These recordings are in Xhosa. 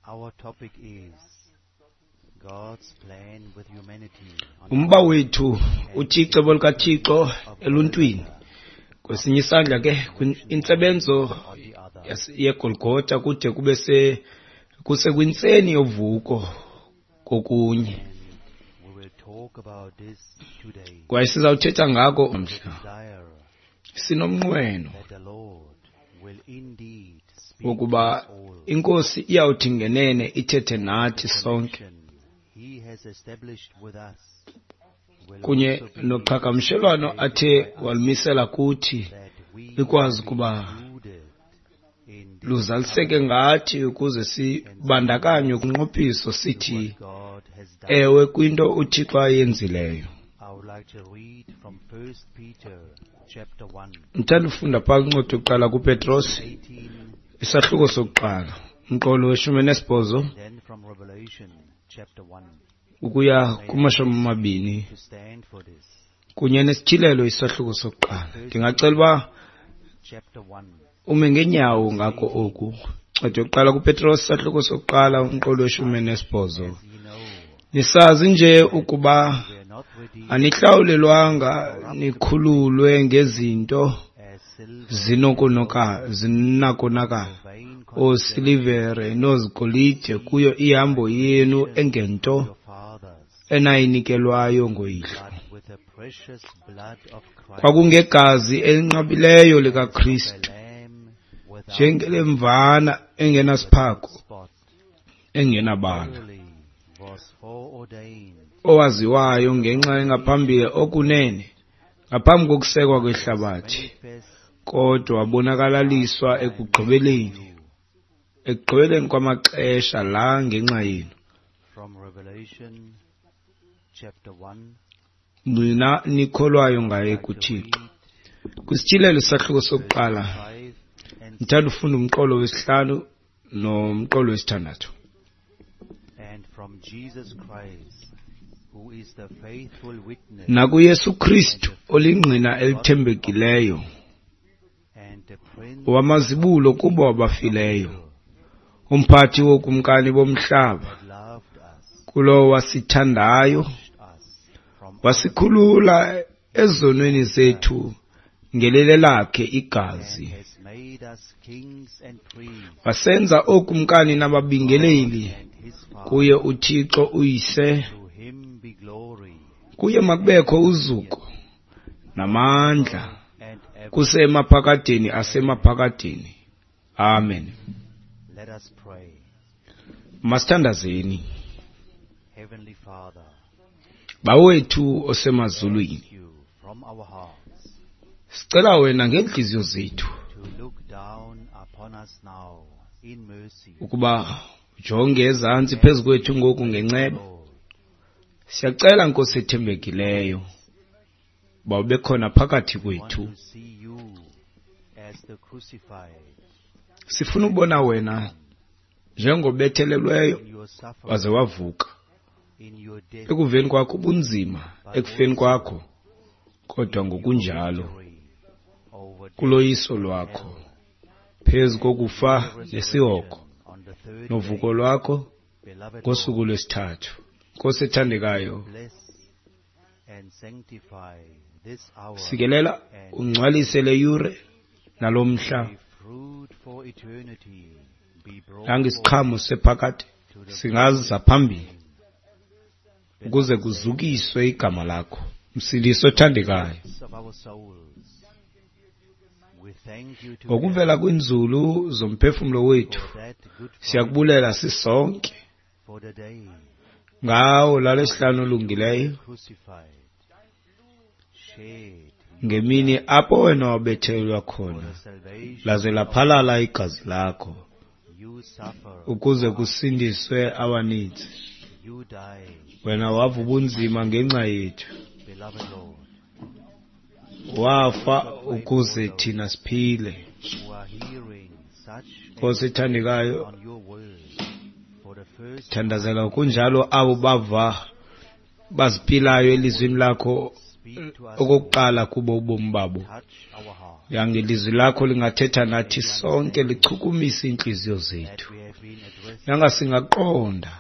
Our topic is God's plan with humanity. Umba wethu uthi icebo likaThixo eluntwini. Kwesinye isandla ke intsebenzo yeGolgotha kude kube kuse kwintseni yovuko kokunye. Kwaye sizawuthetha ngako mhla. Sinomnqweno wokuba iNkosi iyawuthi ngenene ithethe nathi sonke kunye noqhagamshelwano athe walumisela kuthi likwazi ukuba luzaliseke ngathi ukuze sibandakanywe kumnqophiso sithi ewe kwinto uThixo ayenzileyo. Ndithanda ufunda phaa kwincwadi yokuqala kuPetros, isahluko sokuqala, umqolo weshumi nesibhozo ukuya kumashumi amabini kunye nesityhilelo isahluko sokuqala. Ndingacela uba ume ngeenyawo ngako oku. Ncwadi yokuqala kuPetros, isahluko sokuqala, umqolo weshumi nesibhozo. Nisazi nje ukuba anihlawulelwanga nikhululwe ngezinto zinakonakala, oosilivere noozigolide kuyo ihambo yenu engento enayinikelwayo ngoyihlo. Kwakungegazi elinqabileyo likaKristu, njengelemvana engenasiphako engenabala, owaziwayo ngenxa engaphambili okunene ngaphambi kokusekwa kwehlabathi, kodwa wabonakalaliswa ekugqibeleni kwamaxesha la ngenxa yenu. Nina nikholwayo ngaye kuThixo. Kwisityhilelo isahluko sokuqala, ndithanda ufunda umqolo wesihlanu nomqolo wesithandathu. NakuYesu Kristu olingqina elithembekileyo, wamazibulo kubo abafileyo, umphathi wokumkani bomhlaba, kulowo wasithandayo, wasikhulula ezonweni zethu ngelele lakhe igazi, wasenza ookumkani nababingeleli kuye uThixo uYise. Kuye makubekho uzuko namandla kuse emaphakadeni asemaphakadeni. Amen. Masithandazeni. Bawethu osemazulwini, sicela wena ngeentliziyo zethu ukuba ujonge ezantsi phezu kwethu ngoku ngenceba. Siyacela Nkosi ethembekileyo uba ube khona phakathi kwethu. Sifuna ubona wena njengobethelelweyo waze wavuka, ekuveni kwakho ubunzima, ekufeni kwakho, kodwa ngokunjalo kuloyiso lwakho phezu kokufa nesihogo novuko lwakho ngosuku lwesithathu. Nkosi ethandekayo, sikelela ungcwalise le yure nalomhla, nangisiqhamo sephakade singaza phambili ukuze kuzukiswe igama lakho, Msindisi othandekayo. Ngokuvela kwinzulu zomphefumlo wethu siyakubulela sisonke ngawo lalesihlanu olungileyo, ngemini apho wena wabethelelwa khona laze laphalala igazi lakho ukuze kusindiswe abaninzi. Wena wava ubunzima ngenxa yethu, wafa ukuze thina siphile. Nkosi ethandekayo, thandazela kunjalo abo bava baziphilayo elizwini lakho okokuqala kubo ubomi babo. Yangelizwi lakho lingathetha nathi sonke, lichukumise iintliziyo zethu. Yanga singaqonda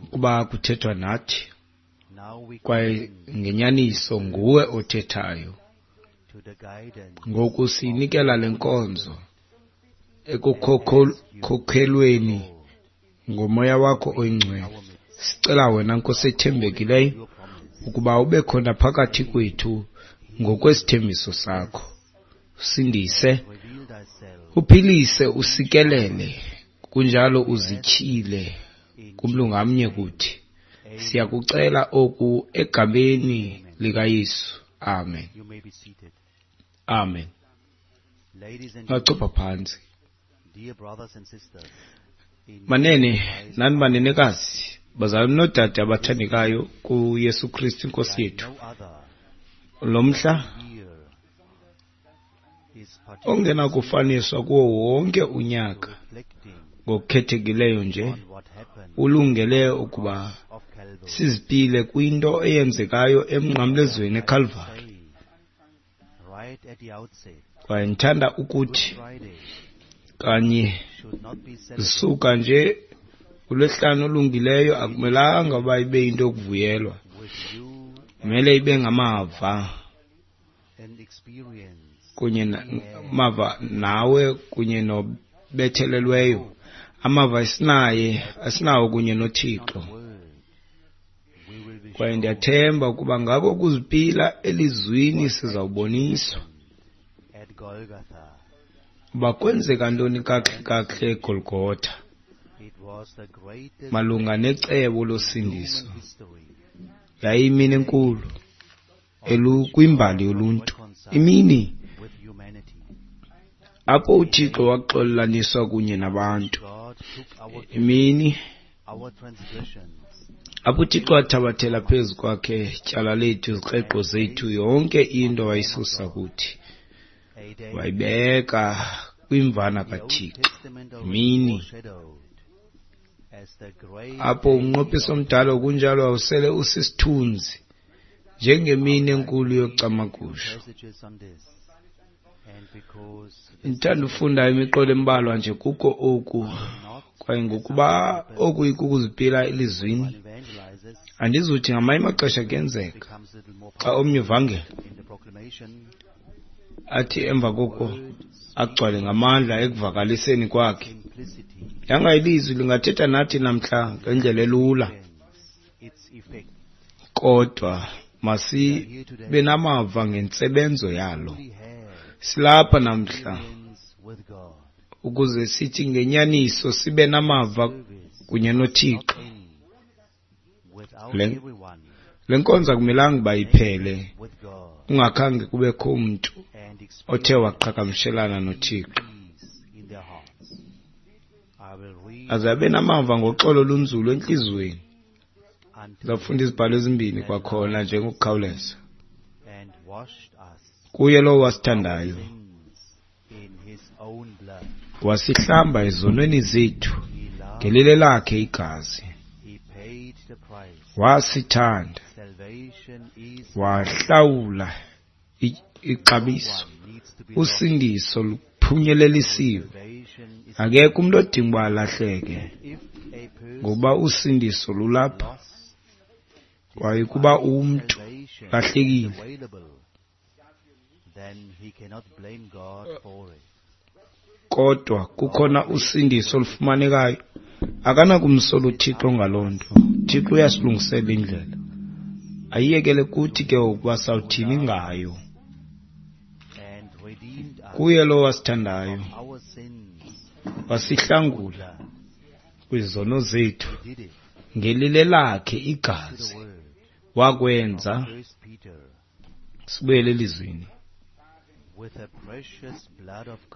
ukuba kuthethwa nathi, kwaye ngenyaniso nguwe othethayo. Ngoku siyinikela le nkonzo ekukhokhelweni ngoMoya wakho oyiNgcwele. Sicela wena, Nkosi ethembekileyo, ukuba ube khona phakathi kwethu ngokwesithembiso sakho. Usindise, uphilise, usikelele, kunjalo uzityhile kumntu ngamnye kuthi. Siyakucela oku egameni likaYesu. Amen. Amen. Ungachopha phantsi. Manene nani manenekazi, bazalwane noodade abathandekayo kuYesu Kristu iNkosi yethu. Lo mhla ongenakufaniswa kuwo wonke unyaka ngokukhethekileyo nje ulungele ukuba sizipile kwinto eyenzekayo emnqamlezweni eKalvari. Kwaye ndithanda ukuthi kanye zisuka nje uLwesihlanu olungileyo akumelanga uba ibe yinto yokuvuyelwa, kumele ibe ngamava kunye mava nawe kunye nobethelelweyo, amava esinaye asinawo kunye noThixo. Kwaye ndiyathemba ukuba ngako ukuzipila elizwini sizawuboniswa uba kwenzeka ntoni kakuhle kakuhle eGolgotha malunga necebo losindiso. Yayiyimini enkulu kwimbali yoluntu, imini apho uThixo waxolelaniswa kunye nabantu, imini apho uThixo wathabathela phezu kwakhe tyala lethu, izikreqo zethu, yonke into wayisusa kuthi, wayibeka kwimvana kaThixo. Imini apho umnqophiso omdala kunjalo wawusele usisithunzi njengemini enkulu yocamagusho. Ndithanda ufunda imiqolo embalwa nje kuko oku, kwaye ngokuba oku ikukuzipila elizwini, andizuthi ngamanye amaxesha kuyenzeka xa omnye uvangela athi emva koko agcwale ngamandla ekuvakaliseni kwakhe. Yanga ilizwi lingathetha nathi namhla ngendlela elula, kodwa masibe namava ngentsebenzo yalo. Silapha namhla ukuze sithi ngenyaniso sibe namava kunye noThixo. Le nkonzo akumelanga uba iphele kungakhange kubekho umntu othe waqhagamshelana noThixo, aze abe namava ngoxolo olunzulu entliziyweni. Ndizawufunda izibhalo ezimbini kwakhona nje ngokukhawuleza. Kuye lowo wasithandayo, wasihlamba ezonweni zethu ngelile lakhe igazi. Wasithanda, wahlawula ixabiso. Usindiso luphunyelelisiwe. Akekho umntu odinga uba alahleke, ngokuba usindiso lulapha. Kwaye ukuba umntu lahlekile, kodwa kukhona usindiso olufumanekayo, akanakumsola uThixo ngaloo nto. uThixo uyasilungisela indlela, ayiyekele kuthi ke ukuba sawuthini ngayo. Kuye lowo wasithandayo, wasihlangula kwizono zethu ngelile lakhe igazi, wakwenza. Sibuyele elizwini.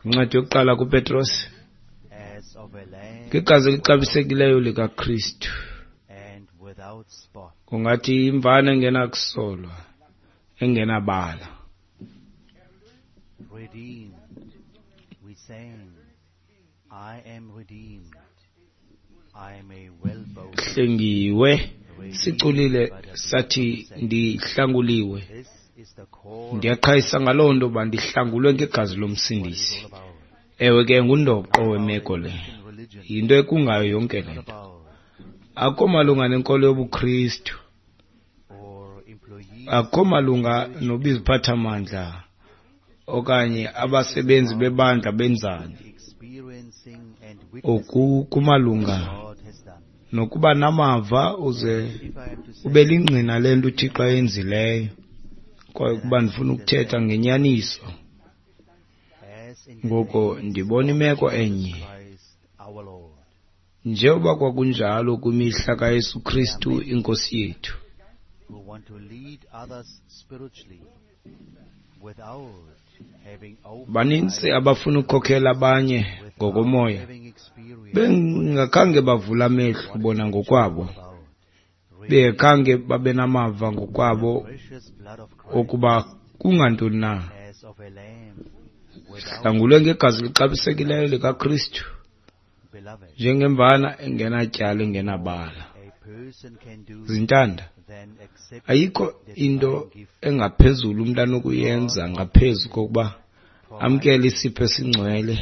Incwadi yokuqala kuPetros, ngegazi elixabisekileyo likaKristu, kungathi imvana engenakusolwa, engenabala. Hlengiwe, siculile sathi ndihlanguliwe. Ndiyaqhayisa ngaloo nto uba ndihlangulwe ngegazi lomsindisi. Ewe ke, ngundoqo wemeko le. Yinto ekungayo yonke le nto. Akukho malunga nenkolo yobuKristu, akukho malunga nobiziphathamandla okanye abasebenzi bebandla benzani. Oku kumalunga nokuba namava uze ube lingqina lento uThixo ayenzileyo. Kwaye ukuba ndifuna ukuthetha ngenyaniso, ngoko ndibona imeko enye njengoba kwakunjalo kwimihla kaYesu Kristu iNkosi yethu. Baninzi abafuna ukukhokhela abanye ngokomoya bengakhange bavula amehlo bona ngokwabo, bengakhange babe namava ngokwabo okuba kungantoni na. Sihlangulwe ngegazi lixabisekileyo likaKristu njengemvana engenatyala engenabala. Zintanda, ayikho into engaphezulu umntu anokuyenza ngaphezu kokuba amkele isipho esingcwele.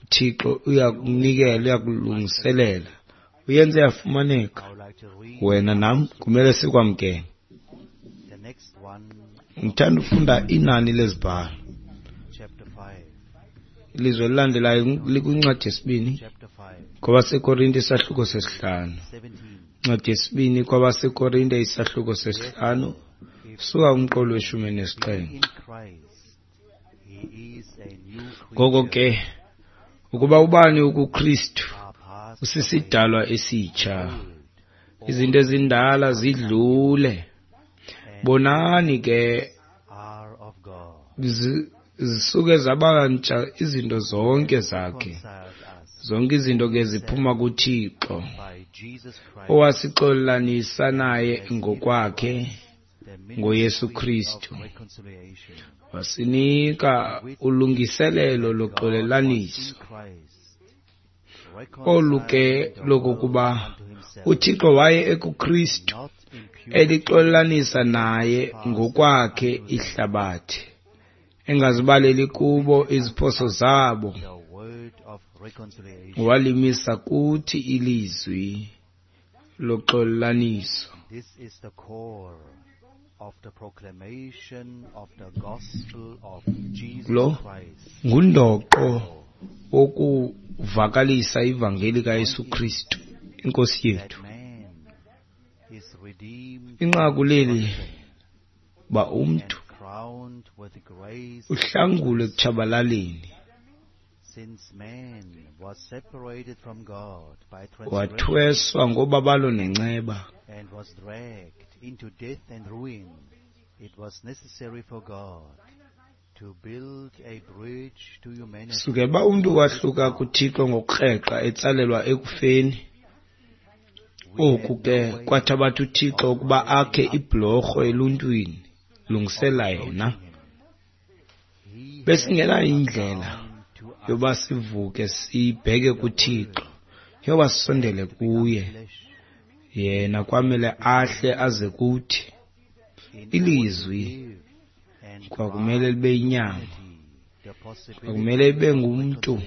UThixo uyakunikela, uyakulungiselela, uyenze yafumaneka. Wena nam kumele sikwamkele. Ngithanda ufunda inani lezibhalo. Ilizwe elilandelayo likwincwadi yesibini kwabaseKorinte isahluko sesihlanu. Incwadi yesibini kwabaseKorinte isahluko sesihlanu, suka kumqolo weshumi nesixhenxe. Ngoko ke ukuba ubani ukuKristu usisidalwa esitsha, izinto ezindala zidlule, bonani ke zisuke zabantsha izinto zonke zakhe. Zonke izinto ke ziphuma kuThixo owasixolanisa naye ngokwakhe ngoYesu Kristu, wasinika ulungiselelo loxolelaniso. Olu ke lokokuba uThixo waye ekuKristu elixolelanisa naye ngokwakhe ihlabathi, engazibaleli kubo iziphoso zabo, walimisa kuthi ilizwi loxolelaniso. Lo ngundoqo wokuvakalisa ivangeli kaYesu Kristu iNkosi yethu. Inqaku leli ba umntu uhlangulwe ekutshabalaleni, wathweswa ngobabalo nenceba. Sukela uba umntu wahluka kuThixo ngokukreqa etsalelwa ekufeni, oku ke kwathabatha uThixo ukuba akhe ibhulorho eluntwini lungisela yena. Besingenayo indlela yoba sivuke sibheke kuThixo, yoba sisondele kuye. Yena kwamele ahle aze kuthi. Ilizwi kwakumele libe yinyama, kwakumele ibe ngumntu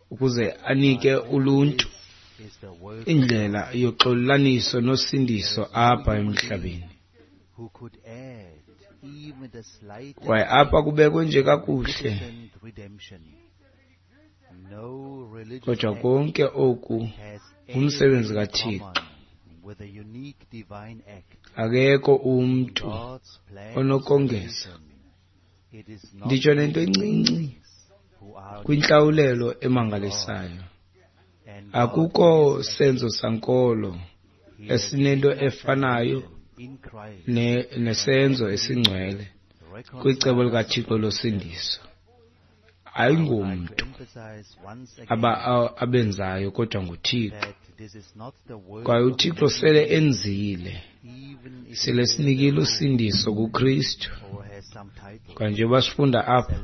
ukuze anike uluntu indlela yoxolelaniso nosindiso apha emhlabeni. Kwaye apha kubekwe nje kakuhle, kodwa konke oku ngumsebenzi kaThixo. Akekho umntu onokongeza nditsho nento encinci kwintlawulelo emangalisayo. Akukho senzo sankolo esinento efanayo nesenzo esingcwele kwicebo likaThixo losindiso. Ayingomntu abenzayo kodwa nguThixo. Kwaye uThixo sele enzile, sele sinikile usindiso kuKristu. Kwaye njengoba sifunda apha,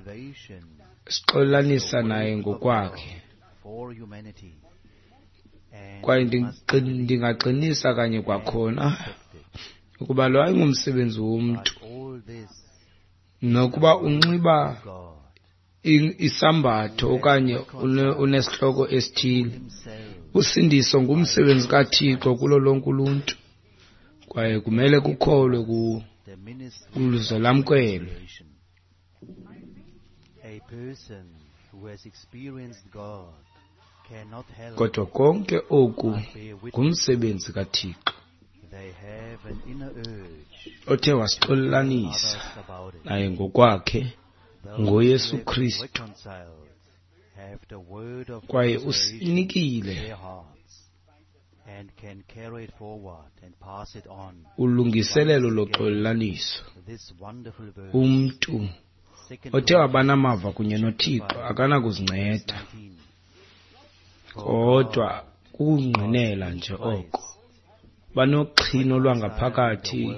sixolelanisa naye ngokwakhe. Kwaye ndingaqinisa kanye kwakhona Ukuba lo ayingumsebenzi womntu, nokuba unxiba isambatho okanye unesihloko esithile, usindiso ngumsebenzi kaThixo kulo lonke uluntu, kwaye kumele kukholwe kuwo ukuze lamkelwe. Kodwa konke oku ngumsebenzi kaThixo othe wasixolelanisa naye ngokwakhe ngoYesu Kristu, kwaye usinikile ulungiselelo loxolelaniso. Umntu othe wabanamava kunye noThixo akanakuzinceda, kodwa kukungqinela nje oko. Banoxhino lwangaphakathi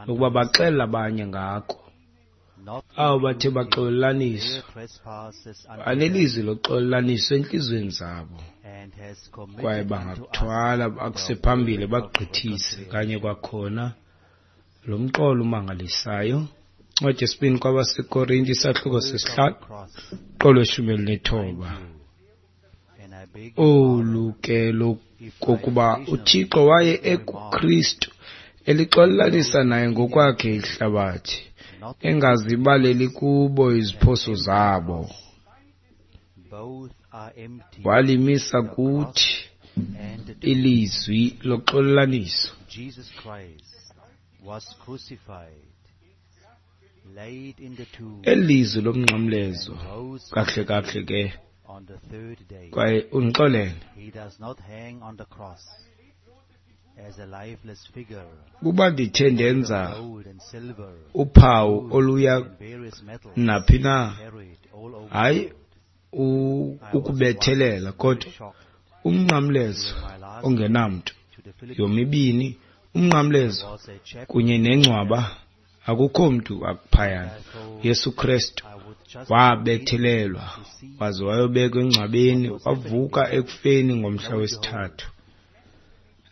lokuba baxele abanye ngako. Abo bathe baxolelaniswa banelizwi loxolelaniso entliziyweni zabo, kwaye bangakuthwala bakuse phambili bakugqithise kanye kwakhona. Lo mqolo umangalisayo, incwadi yesibini kwabaseKorinte, isahluko sesihlanu, mqolo weshumi elinethoba. Olu ke lokokuba uThixo waye ekuKristu elixolelanisa naye ngokwakhe ihlabathi, engazibaleli kubo iziphoso zabo. Walimisa kuthi ilizwi loxolelaniso. Eli lizwi lomnqamlezo, kakuhle kakuhle ke, kwaye undixolele, kuba ndithe ndenza uphawu oluya naphi na, hayi ukubethelela, kodwa umnqamlezo ongenamntu, yomibini umnqamlezo kunye nengcwaba, akukho mntu akuphayana. Yesu Kristu wabethelelwa waze wayobekwa engcwabeni, wavuka ekufeni ngomhla wesithathu.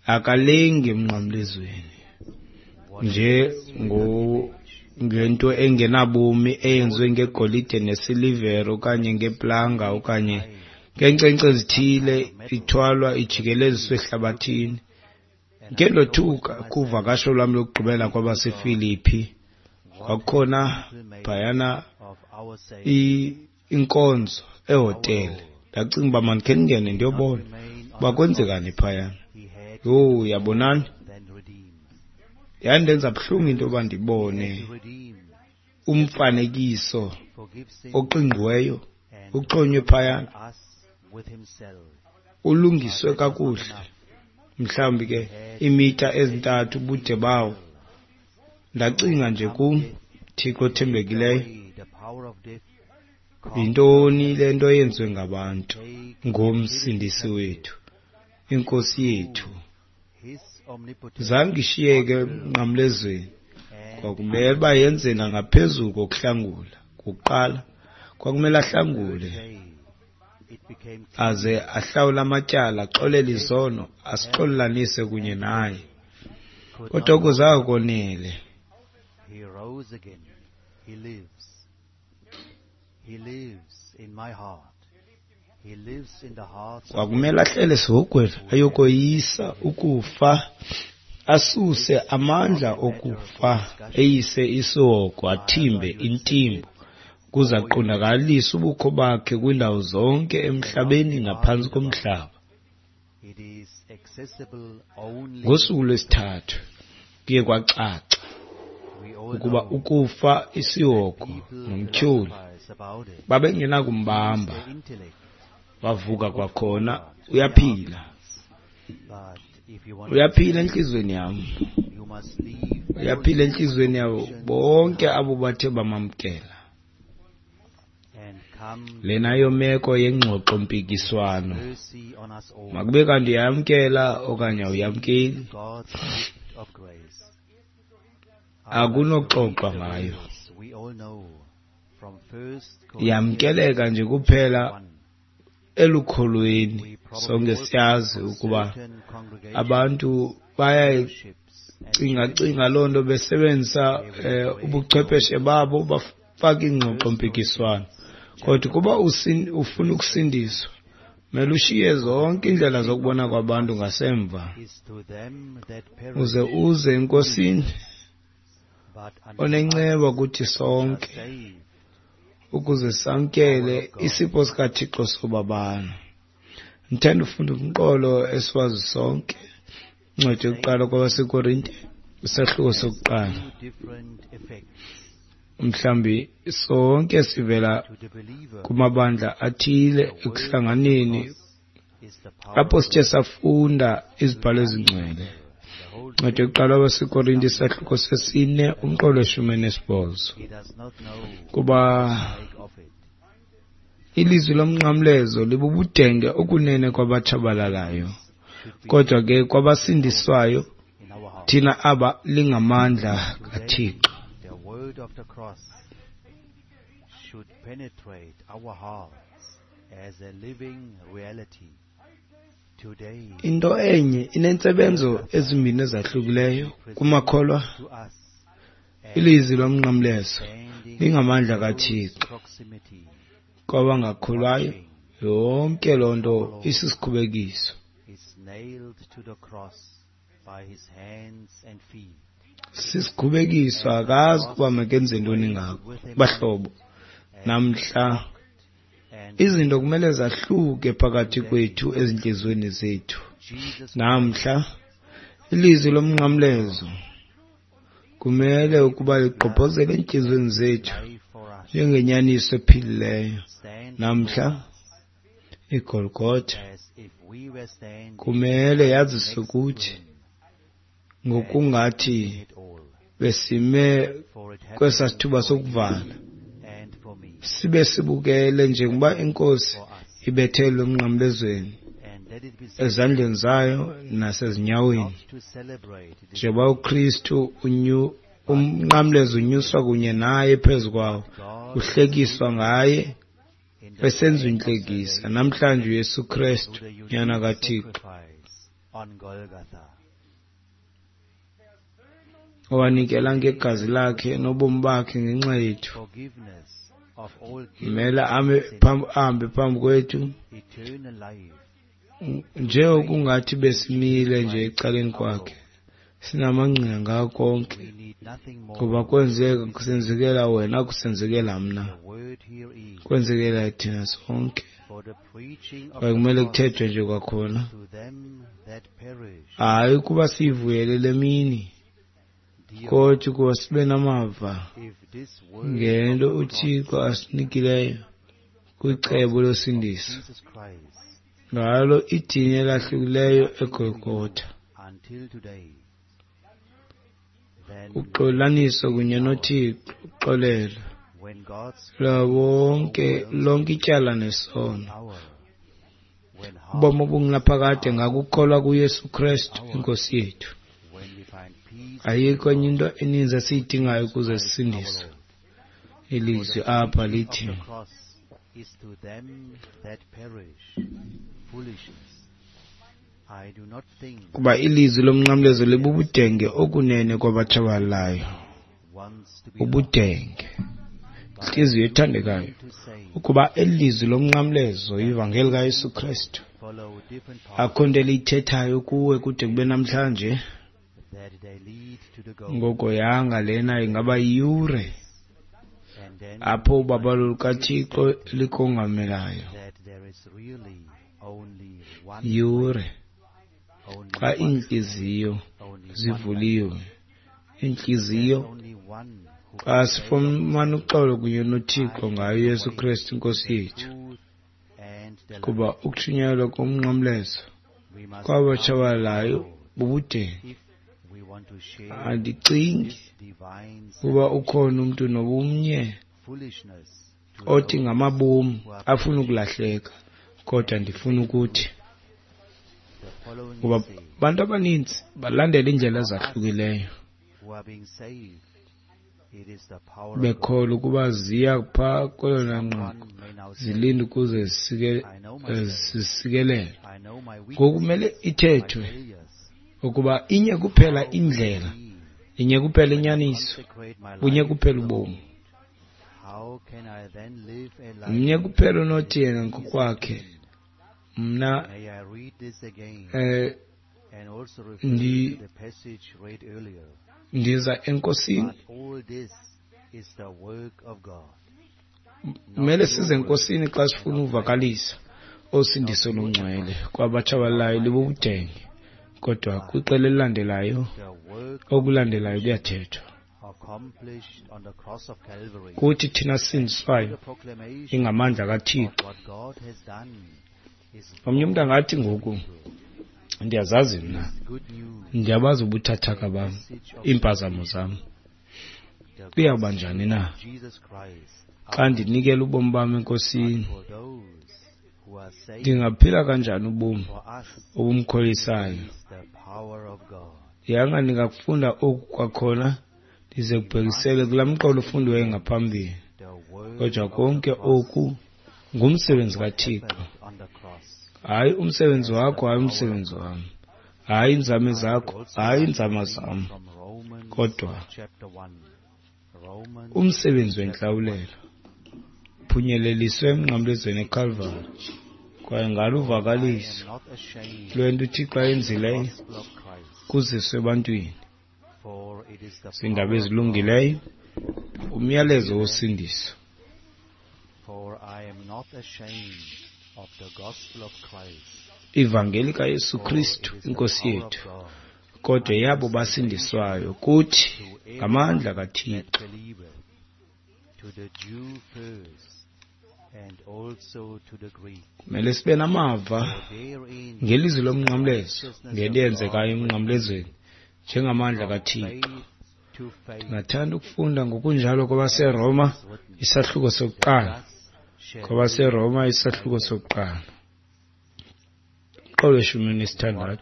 Akalengi emnqamlezweni nje ngento engenabomi eyenziwe ngegolide nesilivere okanye ngeplanga okanye ngeenkcenkce ezithile, ithwalwa ijikeleziswe ehlabathini. Ndikhe ndothuka kuvakasho lwam lokugqibela kwabaseFilipi, kwakukhona phayana inkonzo ehotele. Ndacinga uba mandikhe ndingene ndiyobona uba kwenzekani phayana. Yho, yabonani, yandenza buhlungu into yoba ndibone umfanekiso oqingqiweyo uxhonywe phayana, ulungiswe kakuhle, mhlawumbi ke iimitha ezintathu ubude bawo. Ndacinga nje kum, Thixo othembekileyo, yintoni le nto yenziwe ngabantu ngomsindisi wethu, inkosi yethu? Zange ishiyeke emnqamlezweni. Kwakumele uba yenze nangaphezulu kokuhlangula. Kuqala kwakumele ahlangule aze ahlawule amatyala, axolele izono, asixolelanise kunye naye. Kodwa oko zange konele. Kwakumele ahlele esihogweni ayokoyisa ukufa, asuse amandla okufa, eyise isihogo, athimbe intimbo, ukuze aqondakalise ubukho bakhe kwiindawo zonke emhlabeni naphantsi komhlaba. Ngosuku lwesithathu kuye kwacaca ukuba ukufa, isihogo nomtyholi babengenakumbamba. Wavuka kwakhona, uyaphila. Uyaphila entliziyweni yam. Uyaphila entliziyweni yabo bonke abo bathe bamamkela. Lena yomeko yengxoxo-mpikiswano. Makube kanti uyayamkela okanye awuyamkeli, akunoxoxwa ngayo. Yamkeleka nje kuphela elukholweni. Sonke siyazi ukuba abantu Bayayicingacinga loo nto besebenzisa ubuchwepheshe babo, bafake iingxoxo-mpikiswano. Kodwa ukuba ufuna ukusindiswa, mele ushiye zonke iindlela zokubona kwabantu ngasemva, uze uze eNkosini onenceba kuthi sonke, ukuze samkele isipho sikaThixo sobabalo. Ndithanda ufunda umqolo esiwazi sonke, incwadi yokuqala kwabaseKorinte, isahluko sokuqala. Mhlawumbi sonke sivela kumabandla athile ekuhlanganeni apho sithe safunda izibhalo ezingcwele. Incwadi yokuqala kwabaseKorinte, isahluko sesine, umqolo weshumi nesibhozo. Kuba ilizwi lomnqamlezo libubudenge okunene kwabatshabalalayo, kodwa ke kwabasindiswayo thina aba lingamandla kaThixo. The word of the cross should penetrate our hearts as a living reality. Today, Into enye inentsebenzo ezimbini ezahlukileyo kumakholwa. to us, Ilizwi lomnqamlezo standing lingamandla in close kaThixo proximity, kwabangakholwayo. Yonke loo nto isisikhubekiso. is nailed to the cross by his hands and feet. Sisikhubekiso, akazi ukuba makenze ntoni ngako. Bahlobo, namhla And izinto kumele zahluke phakathi kwethu ezintliziyweni zethu. Jesus Namhla ilizwi lomnqamlezo kumele ukuba ligqobhozele entliziyweni zethu life for us, njengenyaniso ephilileyo. stand Namhla iGolgotha as if we were standing kumele yaziswe next to kuthi him ngokungathi it all. besime For it happened kwesaa sithuba for you sokuvala, and for me, sibe sibukele njengoba iNkosi for us. ibethelwe emnqamlezweni And let it be said ezandleni zayo nasezinyaweni, not to celebrate this njengoba uKristu umnqamlezo unyuswa kunye naye phezu kwawo, God uhlekiswa ngaye, in the esenziwa plan of intlekisa. salvation Namhlanje uYesu Kristu, through the Nyana unique kaThixo, sacrifice on Golgotha. owanikela ngegazi lakhe nobomi bakhe ngenxa yethu, Forgiveness of all guilt, kumele ahambe phambi kwethu eternal life, njengokungathi besimile nje ecaleni kwakhe, sinamangqina ngako konke, we need nothing more. ngoba kwenzeka kusenzekela wena, kusenzekela mna, The word here is kwenzekela thina sonke. for the preaching of Kwaye the kumele cross kuthethwe nje kwakhona, to them that perish. hayi ukuba siyivuyele le mini, Dear, kodwa ukuba sibe namava if this word ngento of the cross uThixo asinikileyo kwicebo losindiso, Jesus Christ ngalo idini elahlukileyo eGolgotha, until today, then uxolaniso kunye noThixo, uxolelo when God's lwawonke lonke ityala nesono, hour, when heart, ubomi obungunaphakade ngakukholwa kuYesu Kristu iNkosi yethu. when we find peace Ayikho enye into eninzi esiyidingayo ukuze Christ our sisindiswe. Lord. Ilizwi For the apha preaching lithi of the cross is to them that perish foolishness. I do not think kuba ilizwi lomnqamlezo libubudenge okunene kwabatshabalalayo, wants to be lost, ubudenge. but Intliziyo ethandekayo, to say ukuba elizwi lomnqamlezo ivangeli kaYesu Kristu follow different paths akho nto eliyithethayo kuwe kude kube namhlanje, that they lead to the goal, ngoko yanga lena ingaba yiyure and then apho ubabalo lukaThixo likongamelayo, that there is really only one yure only xa one, iintliziyo only one zivuliwe, iintliziyo life, only one who xa can say of sifumana uxolo kunye noThixo ngayo uYesu Kristu iNkosi yethu, truth and the life. kuba ukushunyayelwa komnqamlezo We must kwabatshabalalayo ask the Lord bubudenge. if we want to share Andicingi this divine kuba ukhona umntu nobumnye foolishness to othi those ngamabomi who are afuna ukulahleka, kodwa ndifuna ukuthi the following kuba is said, abantu abaninzi balandela iindlela ezahlukileyo who are being saved, it is the power of God. bekholwa ukuba ziya phaa kwelona nqaku, Someone may now say, zilinde ukuze I know myself, zisikelelwe. I know my Ngoku weaknesses, kumele my ithethwe failures. Ukuba inye kuphela indlela, inye kuphela inyaniso, bunye kuphela ubomi. Mnye kuphela onothi yena ngokwakhe mna ndiza enkosini. Kumele size enkosini xa sifuna uvakalisa osindiso longcwele kwabatshabalalayo libubudenge, kodwa kwiqela elilandelayo okulandelayo kuyathethwa. Kuthi thina sisindiswayo ingamandla kaThixo. Omnye umntu angathi ngoku ndiyazazi mna, ndiyabazi ubuthathaka bam, iimpazamo zam. Kuyawuba njani na xa ndinikela ubomi bam enkosini? Ndingaphila kanjani ubomi obumkholisayo? Yanga ndingakufunda oku kwakhona ndize kubhekisele kulaa mqolo ufundiweyo ngaphambili. Kodwa konke oku ngumsebenzi kaThixo. Hayi umsebenzi wakho, hayi umsebenzi wam, hayi iinzame zakho, hayi iinzame zam, kodwa umsebenzi wentlawulelo uphunyeleliswe emnqamlezweni eKalvari, kwaye ngalo uvakaliso lwento uThixo ayenzileyo kuziswe ebantwini. Ziindaba ezilungileyo, umyalezo wosindiso. Ivangeli kaYesu Kristu iNkosi yethu, kodwa yabo basindiswayo kuthi ngamandla kaThixo. Kumele sibe namava ngelizwi lomnqamlezo, ngento eyenzekayo emnqamlezweni njengamandla kaThixo. Ndingathanda ukufunda ngokunjalo kwabaseRoma isahluko sokuqala. KwabaseRoma isahluko sokuqala, umqolo 16.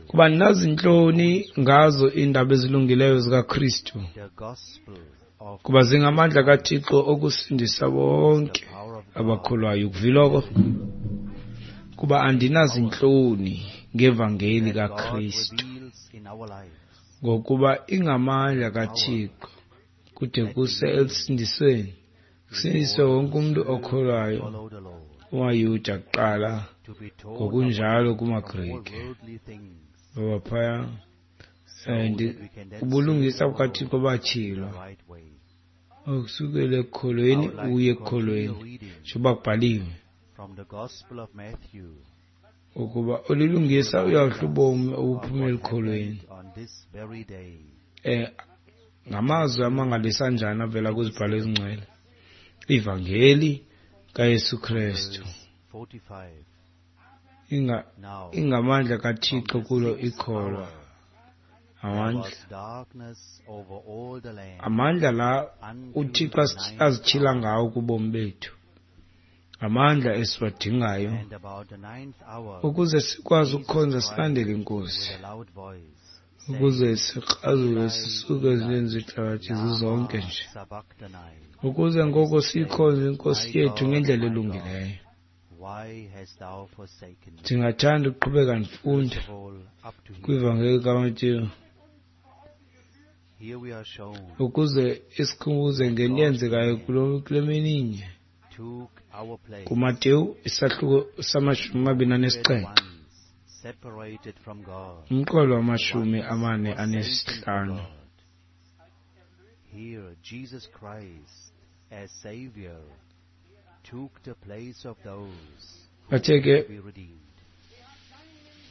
Kuba ndinazintloni ngazo iindaba ezilungileyo zikaKristu, kuba zingamandla kaThixo okusindisa bonke abakholwayo. Ukuviloko, kuba andinazintloni ngevangeli kaKristu, ngokuba ingamandla kaThixo kude kuse elusindisweni, kusindiswe wonke umntu okholwayo, kumaYuda kuqala, ngokunjalo kumaGrike. Ngoba phaya and ubulungisa bukaThixo batyhilwa ukusukela ekukholweni uye ekukholweni, njengoba kubhaliwe ukuba olilungisa uyawudla ubomi obuphuma elukholweni. Ngamazwi amangalisa njani avela kwizibhalo ezingcwele, ivangeli kaYesu Kristu ingamandla kaThixo kulo ikholwa. Amandla la uThixo azityhila ngawo kubomi bethu, amandla esiwadingayo ukuze sikwazi ukukhonza silandele iNkosi, ukuze sikrazule sisuke ezintweni zehlabathi zizonke nje, ukuze ngoko siyikhonze iNkosi yethu ngendlela elungileyo. Ndingathanda ukuqhubeka ndifunda kwivangeli kaMateyu ukuze isikhumbuze ngento eyenzekayo kule mini inye. KuMateyu isahluko sama-27, umqolo wama-45. Here Jesus Christ as Savior took the place of those who Bathe ke be redeemed.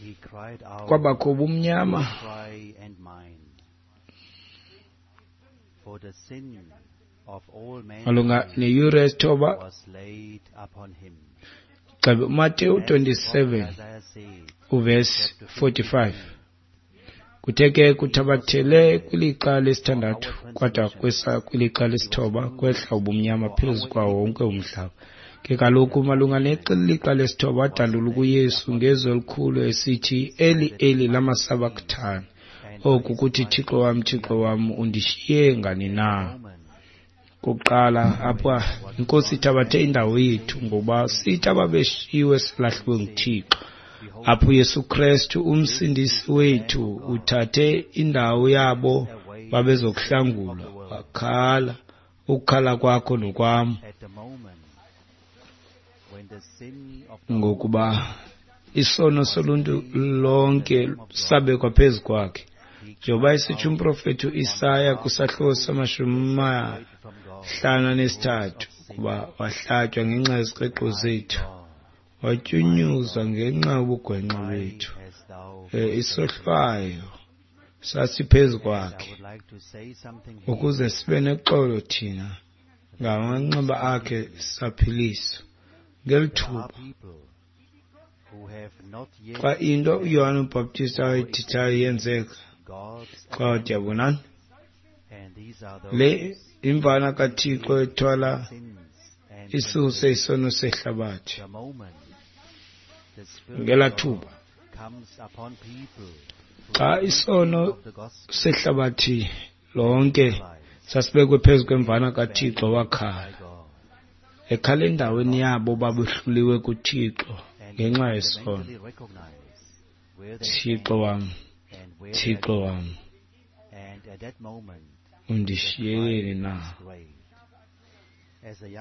He cried out, kwabakho ubumnyama cry and mine, for the sin of all malunga mankind neyure yesithoba was laid upon him. gxebe uMateyu As the prophet 27 Isaiah said, uvesi chapter 45. 53, Kuthe ke kuthabathele kwilixa lesithandathu kwada kwesa kwilixa lesithoba kwehla ubumnyama phezu kwawo wonke umhlaba. Ke kaloku malunga nelixa lesithoba wadanduluka kuYesu ngezwi elikhulu esithi, Eli, Eli, lama sabachthani? Oku kuthi, Thixo wam, Thixo wam, undishiye ngani na? Kokuqala apha iNkosi ithabathe indawo yethu, ngoba sithi ababeshiyiwe silahliwe nguThixo. apho uYesu Kristu umsindisi wethu uthathe indawo yabo babezokuhlangulwa. Wakhala ukukhala kwakho nokwam, ngokuba isono soluntu lonke sabekwa phezu kwakhe. Njengoba esitsho umprofethi uIsaya kwisahluko sama-53, ukuba wahlatywa ngenxa yezikreqo zethu, watyunyuzwa ngenxa yobugwenxa bethu. Isohlwayo sasiphezu kwakhe, ukuze sibe nexolo thina, ngamanxeba akhe saphiliswa. Ngeli thuba xa into uYohane uBhaptist awayithethayo yenzeka, xa wathi, yabonani, le imvana kaThixo ethwala isuse isono sehlabathi. Ngelaa thuba xa isono sehlabathi lonke sasibekwe phezu kwemvana kaThixo, wakhala ekhala endaweni yabo babehluliwe kuThixo ngenxa yesono. Thixo wam, Thixo wam, undishiyeleni na?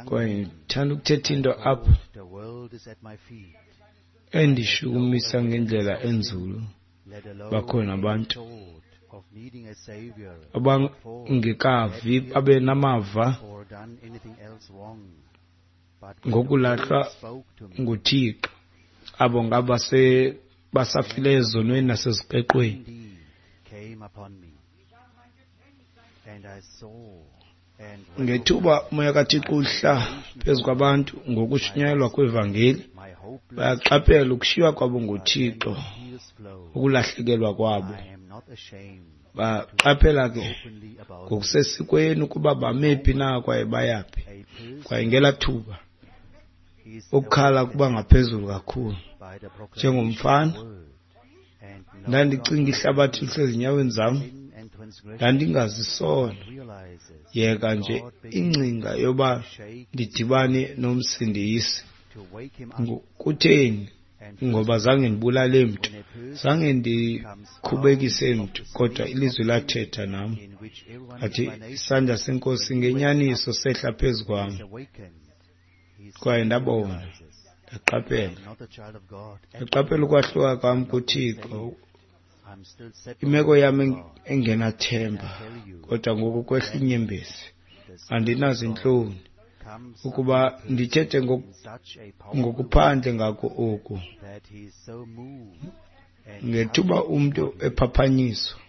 Kwaye ndithanda ukuthetha into apha endishukumisa ngendlela enzulu. Bakhona abantu abangekavi babe namava ngokulahlwa nguThixo, abo ngabase basafile ezonweni nasezikreqweni. Ngethuba umoya kaThixo uhla phezu kwabantu ngokushunyayelwa kwevangeli, bayaqaphela ukushiywa kwabo nguThixo, ukulahlekelwa kwabo. Baqaphela ke ngokusesikweni ukuba bame phi na kwaye bayaphi. Kwaye ngelaa thuba ukukhala kuba ngaphezulu kakhulu. Njengomfana ndandicinga ihlabathi lisezinyaweni zam, ndandingazisono. Yeka nje ingcinga yoba ndidibane nomsindisi. Kutheni? Ngoba zange ndibulale mntu, zange ndikhubekise mntu, kodwa ilizwi lathetha nam. Athi isandla senkosi ngenyaniso sehla phezu kwam, kwaye ndabona, ndaqaphela ukwahluka kwam kuThixo, imeko yam engenathemba. Kodwa ngoku kwehla inyembezi, andinazintloni ukuba ndithethe ngokuphandle ngako oku. Ngethuba umntu ephaphanyiswa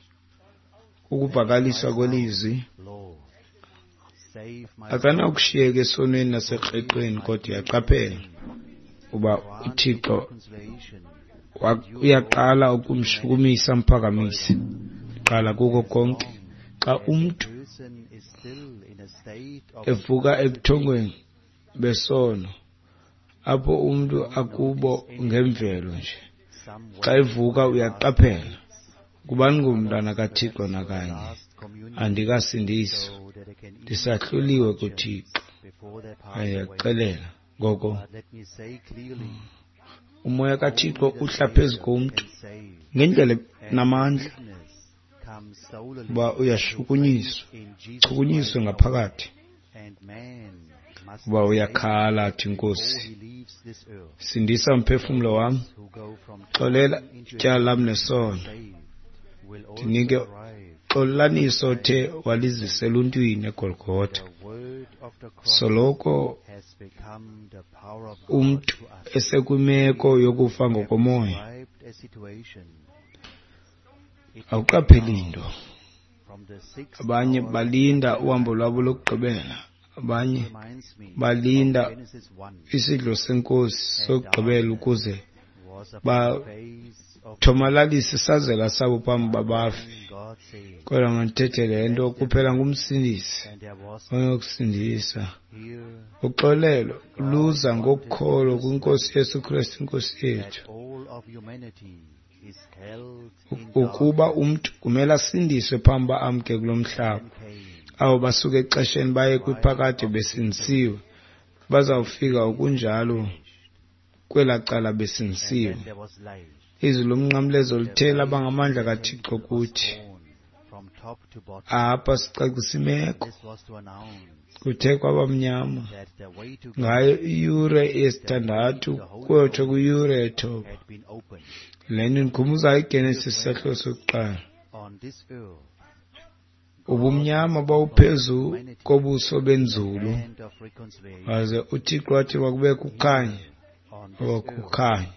kukuvakaliswa kwelizwi, akanakushiyeka esonweni nasekreqweni, kodwa uyaqaphela uba uThixo uyaqala ukumshukumisa amphakamise. Qala kuko konke, xa umntu evuka ebuthongweni besono, apho umntu akubo ngemvelo nje, xa evuka uyaqaphela ukuba ndingumntwana kaThixo nakanye, andikasindiswa, ndisahluliwe kuThixo. Ayaxelela ngoko umoya kaThixo uhla phezu komntu ngendlela namandla, uba uyashukunyiswa, chukunyiswe ngaphakathi, uba uyakhala athi, Nkosi, sindisa umphefumlo wam, xolela ityala lam nesono, ndinike xolelaniso othe walizisa eluntwini eGolgotha. Soloko umntu esekwimeko yokufa ngokomoya, awuqapheli nto. Abanye balinda uhambo lwabo lokugqibela, abanye balinda isidlo senkosi sokugqibela ukuze bathomalalise isazela sabo phambi babafe. Kodwa mandithethe le nto, kuphela ngumsindisi onokusindisa. Uxolelo luza ngokholo kwiNkosi Yesu Kristu iNkosi yethu. Ukuba umntu kumele asindiswe phambi uba amke kulo mhlaba, abo basuka exesheni baye kwiphakade besindisiwe, bazawufika okunjalo kwelaa cala besindisiwe. Izwi lomnqamlezo lithe laba ngamandla kaThixo kuthi. Apha sicacisa imeko. Kuthe kwabamnyama ngayo iyure yesithandathu kuyotsho kwiyure yethoba. Le nto indikhumbuza iGenesis isahluko sokuqala. Ubumnyama bawuphezu kobuso benzulu, waze uThixo wathi makubekho ukukhanya, kwakukhanya.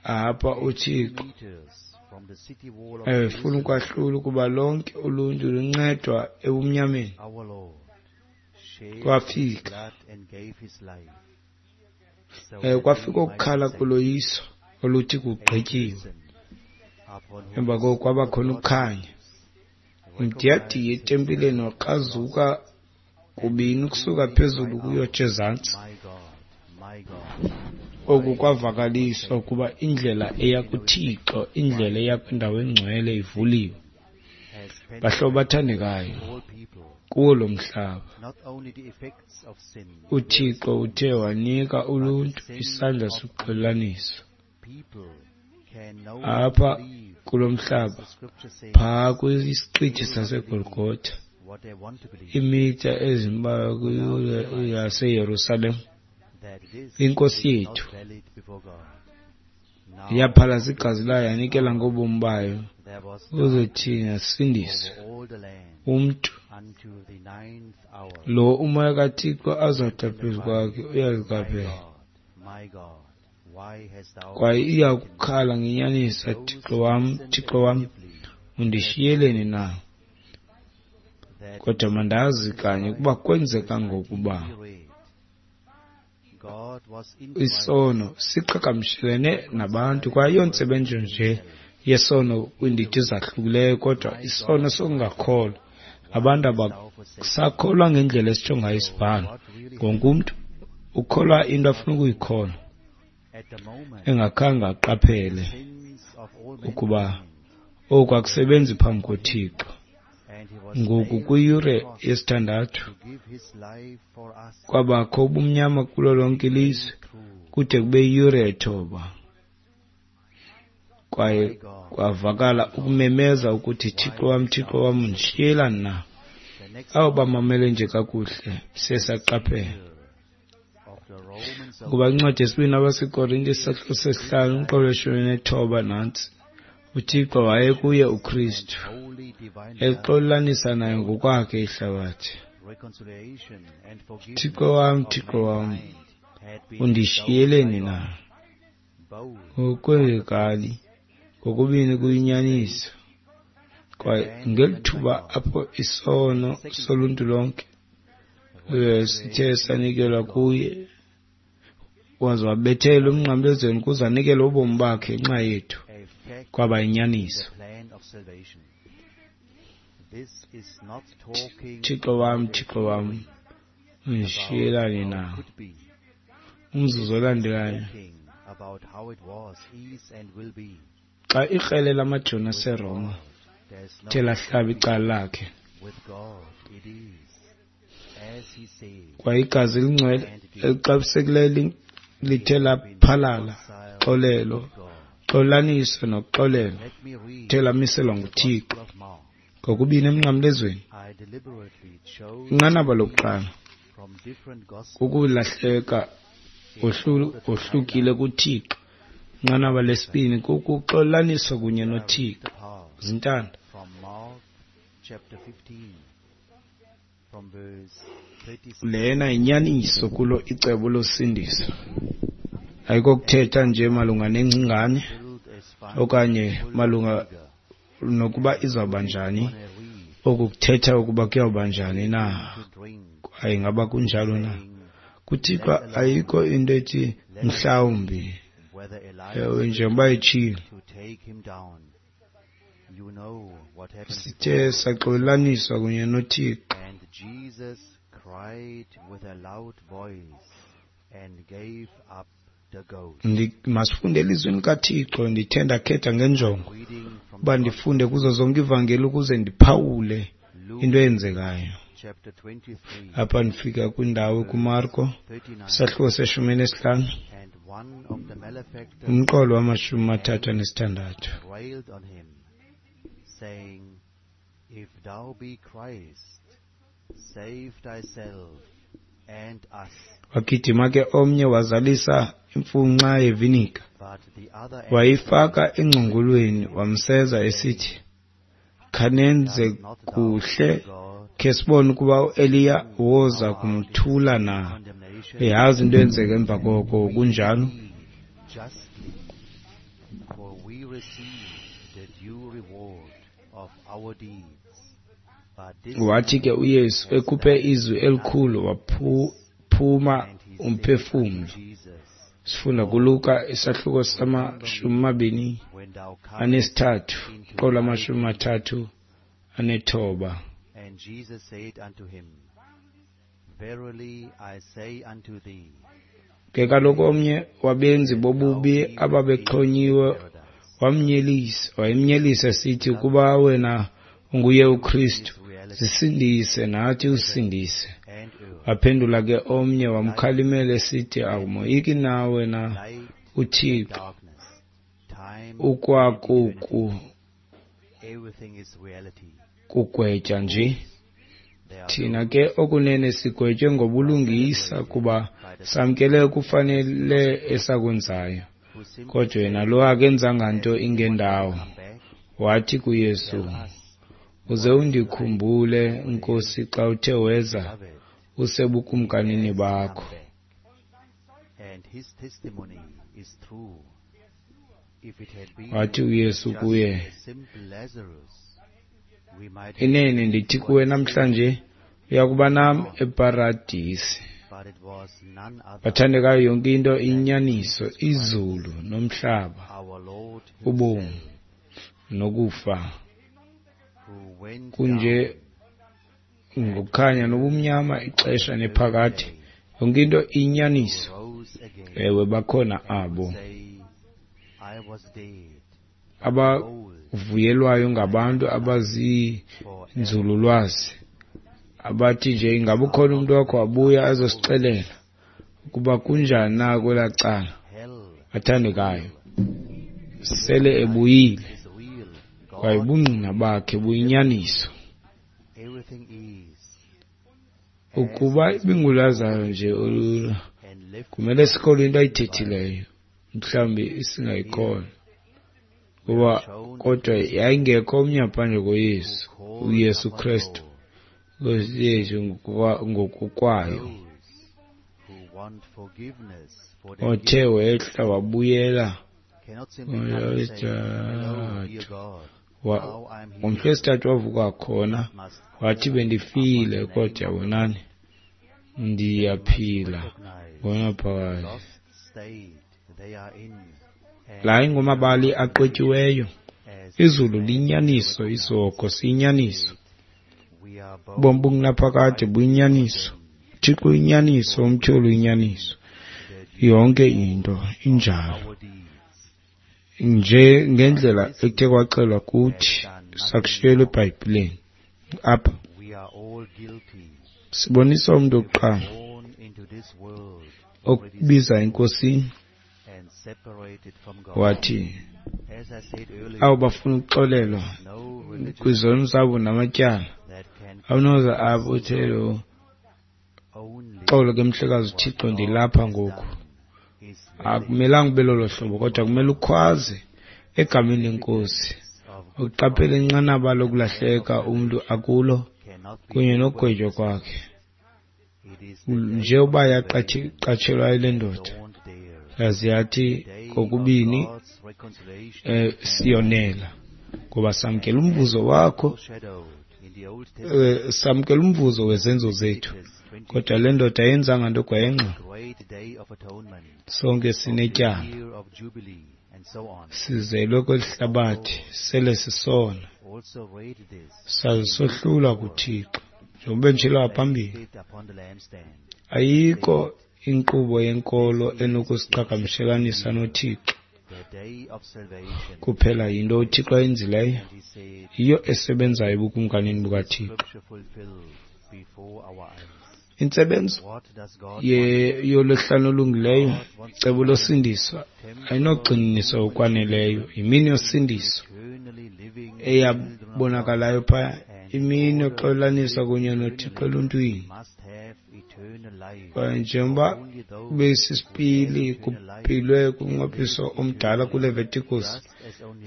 Apha uThixo efuna ukwahlula ukuba lonke uluntu luncedwa ebumnyameni. Kwafika kwafika ukukhala koloyiso oluthi kugqityiwe. Emva koko kwaba khona ukukhanya. Umdiyadiya etempileni wakrazuka kubini ukusuka phezulu ukuyotsho ezantsi. Oku kwavakaliswa ukuba indlela eya kuThixo, indlela eya kwindawo engcwele ivuliwe. Bahlobo bathandekayo, kuwo lo mhlaba uThixo uthe wanika uluntu isandla sokuxolelanisa. Apha kulo mhlaba, phaa kwisiqithi saseGolgotha, iimitha ezimbalwa kwiyure yaseYerusalem, iNkosi yethu yaphalaza igazi layo yanikela ngobomi bayo ukuze thina sisindiswe. Umntu lo umoya kaThixo azawuthi phezu kwakhe uyaziqaphela, kwaye iya kukhala ngenyaniso, Thixo wam, Thixo wam, undishiyeleni na? Kodwa mandazi kanye ukuba kwenzeka ngokuba isono siqhagamshelene nabantu, kwaye ayontsebenzo nje yesono kwiindidi ezahlukileyo, kodwa isono sokungakholwa. Abantu abasakholwa ngendlela esitsho ngayo isibhalo. Wonke umntu ukholwa into afuna ukuyikholwa, engakhange aqaphele ukuba oku akusebenzi phambi koThixo. Ngoku kwiyure yesithandathu kwabakho ubumnyama kulo lonke ilizwe kude kube yiyure yethoba, kwaye kwavakala ukumemeza ukuthi, Thixo wam, Thixo wam, undishiyelani na? Abo bamamele nje kakuhle siye saqaphela ukuba incwadi yesibini abaseKorinte isahluko sesihlanu umqolo weshumi nethoba nantsi. uThixo wayekuye uKristu exolelanisa naye ngokwakhe ihlabathi. Thixo wam, Thixo wam, undishiyeleni na? Ngokwekali ngokubini kuyinyaniso, kwaye ngeli thuba apho isono soluntu lonke sithe sanikelwa kuye, waze wabethelwa emnqamlezweni ukuze anikele ubomi bakhe ngenxa yethu, kwaba yinyaniso. Thixo wam, Thixo wam, undishiyelani na? Umzuzu olandelayo, xa ikrele lamajoni aseRoma lithe lahlaba icala lakhe, kwaye igazi elingcwele elixabisekileyo lithe laphalala, xolelo, xolaniso nokuxolelwa lithe lamiselwa nguThixo ngokubini emnqamlezweni. Inqanaba lokuqala kukulahleka ohlukile kuThixo. Inqanaba lesibini kukuxolaniswa kunye noThixo. Zintanda. Lena yinyaniso kulo icebo losindiso. Ayikokuthetha nje malunga nengcingane okanye malunga nokuba izawuba njani. Oku kuthetha ukuba kuyawuba njani na, kwaye ngaba kunjalo na. KuThixo ayikho into ethi mhlawumbi, ewe, njengoba etshilo. Sithe saxolelaniswa kunye noThixo. Masifunde elizwini likaThixo. Ndithe ndakhetha ngenjongo uba ndifunde kuzo zonke ivangeli ukuze ndiphawule into eyenzekayo. Apha ndifika kwindawo kuMarko isahluko se-15 umqolo wama-36. If thou be Christ, save thyself and us. Wagijima ke omnye wazalisa imfunxa yevinika, wayifaka engcongolweni, wamseza esithi, khanenze kuhle, khe sibone ukuba uEliya woza kumthula na. Uyazi into eyenzeka emva koko, kunjalo? Wathi ke uYesu ekhuphe izwi elikhulu, waphuma umphefumlo. Sifunda kuLuka isahluko sama-23, qolo ama-39. And Jesus said unto him, Verily I say unto thee, Ke kaloku omnye wabenzi bobubi ababexhonyiwe wayemnyelisa esithi, ukuba wena unguye uKristu, zisindise nathi usindise. Waphendula ke omnye wamkhalimela esithi, akumoyiki na wena uThixo, ukwakuku kugwetya nje? Thina ke okunene sigwetywe ngobulungisa, kuba samkele okufanele esakwenzayo. Kodwa yena lo akenzanga nto ingendawo. Wathi kuYesu, uze undikhumbule, Nkosi, xa uthe weza usebukumkanini bakho. Wathi uYesu kuye, inene ndithi kuwe namhlanje uya kuba nam eParadisi. Bathandekayo, yonke into iyinyaniso, izulu nomhlaba, ubomi nokufa, kunje ngokukhanya nobumnyama, ixesha nephakade, yonke into iyinyaniso. Ewe, bakhona abo abavuyelwayo ngabantu abaziinzululwazi, abathi nje ingaba ukhona umntu wakho wabuya azosixelela ukuba kunjani na kwelaa cala. Bathandekayo, sele ebuyile, kwaye ubungqina bakhe buyinyaniso. Ukuba ibinguLazaro nje olula, kumele sikholwe into ayithethileyo, mhlawumbi singayikholwa, kuba kodwa yayingekho omnye ngaphandle koYesu, uYesu Kristu, Nkosi yethu ngokokwayo, othe wehla wabuyela ngomhla wesithathu wavuka khona, wathi bendifile, kodwa yabonani ndiyaphila ngonaphakade. La ingomabali aqwetyiweyo. Izulu liyinyaniso, isihogo siyinyaniso, ubomi bungunaphakade buyinyaniso, uThixo uyinyaniso, umtyholi uyinyaniso, yonke into injalo nje ngendlela ekuthe kwaxelwa kuthi, sakushiyelwa eBhayibhileni. Apha sibonisa umntu wokuqala okubiza eNkosini, wathi abo bafuna ukuxolelwa kwizono zabo namatyala, awunoza apho uthe lo xolo ke mhlekazi uThixo, ndilapha ngoku. Akumelanga ube lolo hlobo, kodwa kumele ukhwaze egameni leNkosi, uqaphele inqanaba lokulahleka umntu akulo kunye nokugwetywa kwakhe. Nje uba yaqatshelwayo le ndoda, yaze yathi kokubini siyonela, ngoba samkela umvuzo wakho, samkela umvuzo wezenzo zethu. Kodwa le ndoda ayenzanga nto kwayengxo. Sonke sinetyala, sizelwe kweli hlabathi sele sisona, saze sohlulwa kuThixo. Njengoba benditshilo ngaphambili, ayikho inkqubo yenkolo enokusiqhagamshelanisa noThixo. Kuphela yinto uThixo ayenzileyo, yiyo esebenzayo ebukumkanini bukaThixo. Intsebenzo yolwesihlanu olungileyo, icebo losindiso, ayinogxininiswa okwaneleyo. Yimini yosindiso eyabonakalayo phaya, imini yoxolelaniswa kunye noThixo eluntwini. Kwaye njengoba besisipili kupilwe kumnqophiso omdala kuLevitikus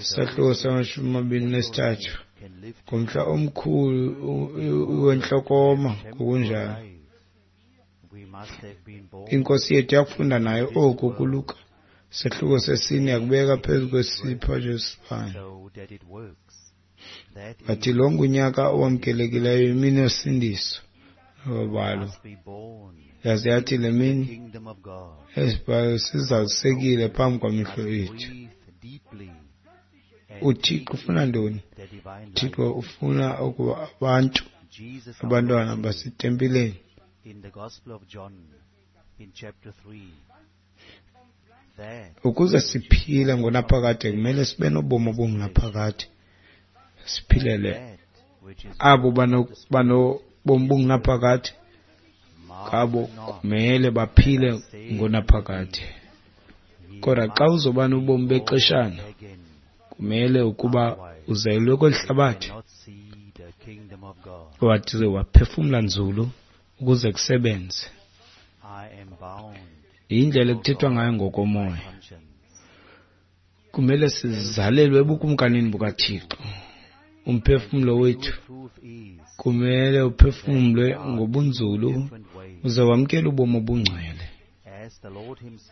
isahluko sama-23 ngomhla omkhulu wentlokoma ngokunjalo. INkosi yethu yakufunda nayo oku kuLuka sehluko sesine yakubeka phezu kwesiphatho sesibane. Wathi lo ngunyaka owamkelekileyo, imini yosindiso nobabalo. Yaze yathi le mini esibhalo sizalisekile phambi kwamehlo ethu. UThixo ufuna ntoni? UThixo ufuna ukuba abantu, abantwana basetempileni, ukuze siphile ngonaphakade kumele sibe nobomi obungunaphakade, siphilele abo banobomi obungunaphakade, ngabo kumele baphile ngonaphakade. Kodwa xa uzoba nobomi bexeshana, kumele ukuba uzelwe kweli hlabathi, wathi waphefumla nzulu ukuze kusebenze. Yindlela ekuthethwa ngayo ngokomoya. Kumele sizalelwe ebukumkanini bukaThixo. Umphefumlo wethu kumele uphefumlwe ngobunzulu uze wamkele ubomi obungcwele.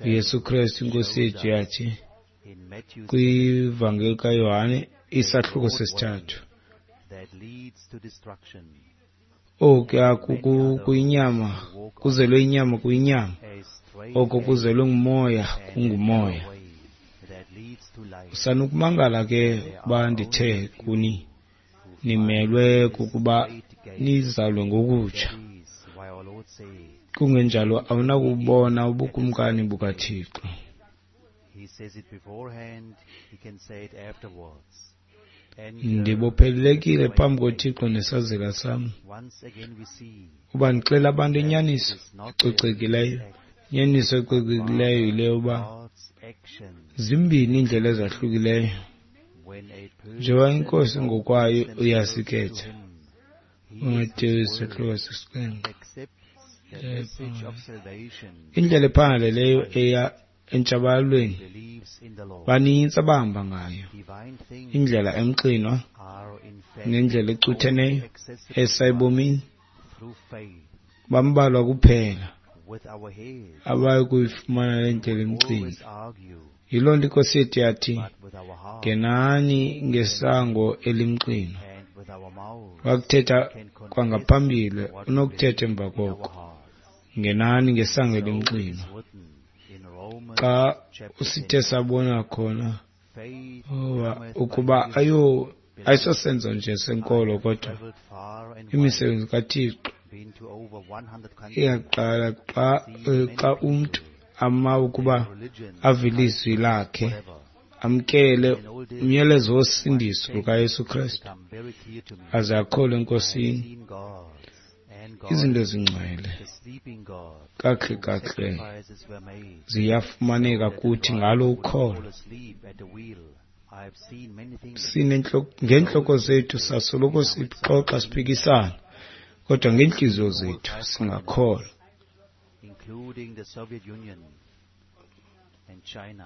uYesu Kristu iNkosi yethu yathi kwivangeli kaYohane isahluko sesithathu, okuya kuyinyama kuzelwe inyama kuyinyama, oko kuzelwe ngumoya kungumoya. Sanukumangala ke uba ndithe kuni nimelwe kukuba nizalwe ngokutsha, kungenjalo awunakubona ubukumkani bukaThixo. Ndibophelelekile phambi koThixo nesazela sam uba ndixela abantu inyaniso ecocekileyo. Inyaniso ecocekileyo yile yoba zimbini iindlela ezahlukileyo. Njengoba iNkosi ngokwayo uyasikhetha. UMateyu isahluko sesixhenxe. Indlela ephangaleleyo eya entshabalalweni banintsi abahamba ngayo. Indlela emxinwa nendlela ecutheneyo esa ebomini bambalwa kuphela abayi kuyifumana le ndlela emxinwa. Yiloo nto iNkosi yethu yathi, ngenani ngesango elimxinwa. Wakuthetha kwangaphambili, unokuthetha emva koko. Ngenani ngesango elimxinwa. Xa usithe sabona khona ukuba ayisosenzo nje senkolo, kodwa imisebenzi kaThixo iyaqala xa umntu ama ukuba ave ilizwi lakhe, amkele umyalezo wosindiso lukaYesu Kristu, aze akholwe eNkosini. Izinto ezingcwele kakuhle kakuhle ziyafumaneka kuthi ngalo ukholo. Ngeentloko zethu sasoloko sixoxa siphikisana, kodwa ngeentliziyo zethu singakholwa.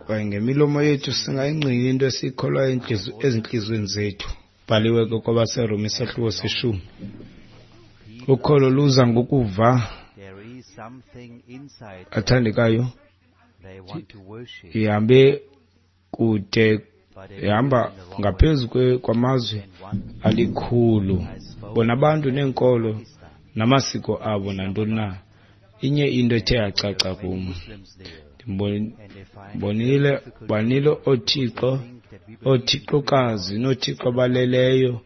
Kwaye ngemilomo yethu singayingqina into esiyikholwayo ezintliziyweni zethu. Bhaliwe ke kwabaseRoma isahluko seshumi. Ukholo luza ngokuva. Athandekayo, ihambe kude, ihamba ngaphezu kwamazwe alikhulu. Bona abantu neenkolo namasiko abo nantoni na. Inye into ethe yacaca kum, ndibonile banile oothixo, oothixokazi noothixo abaleleyo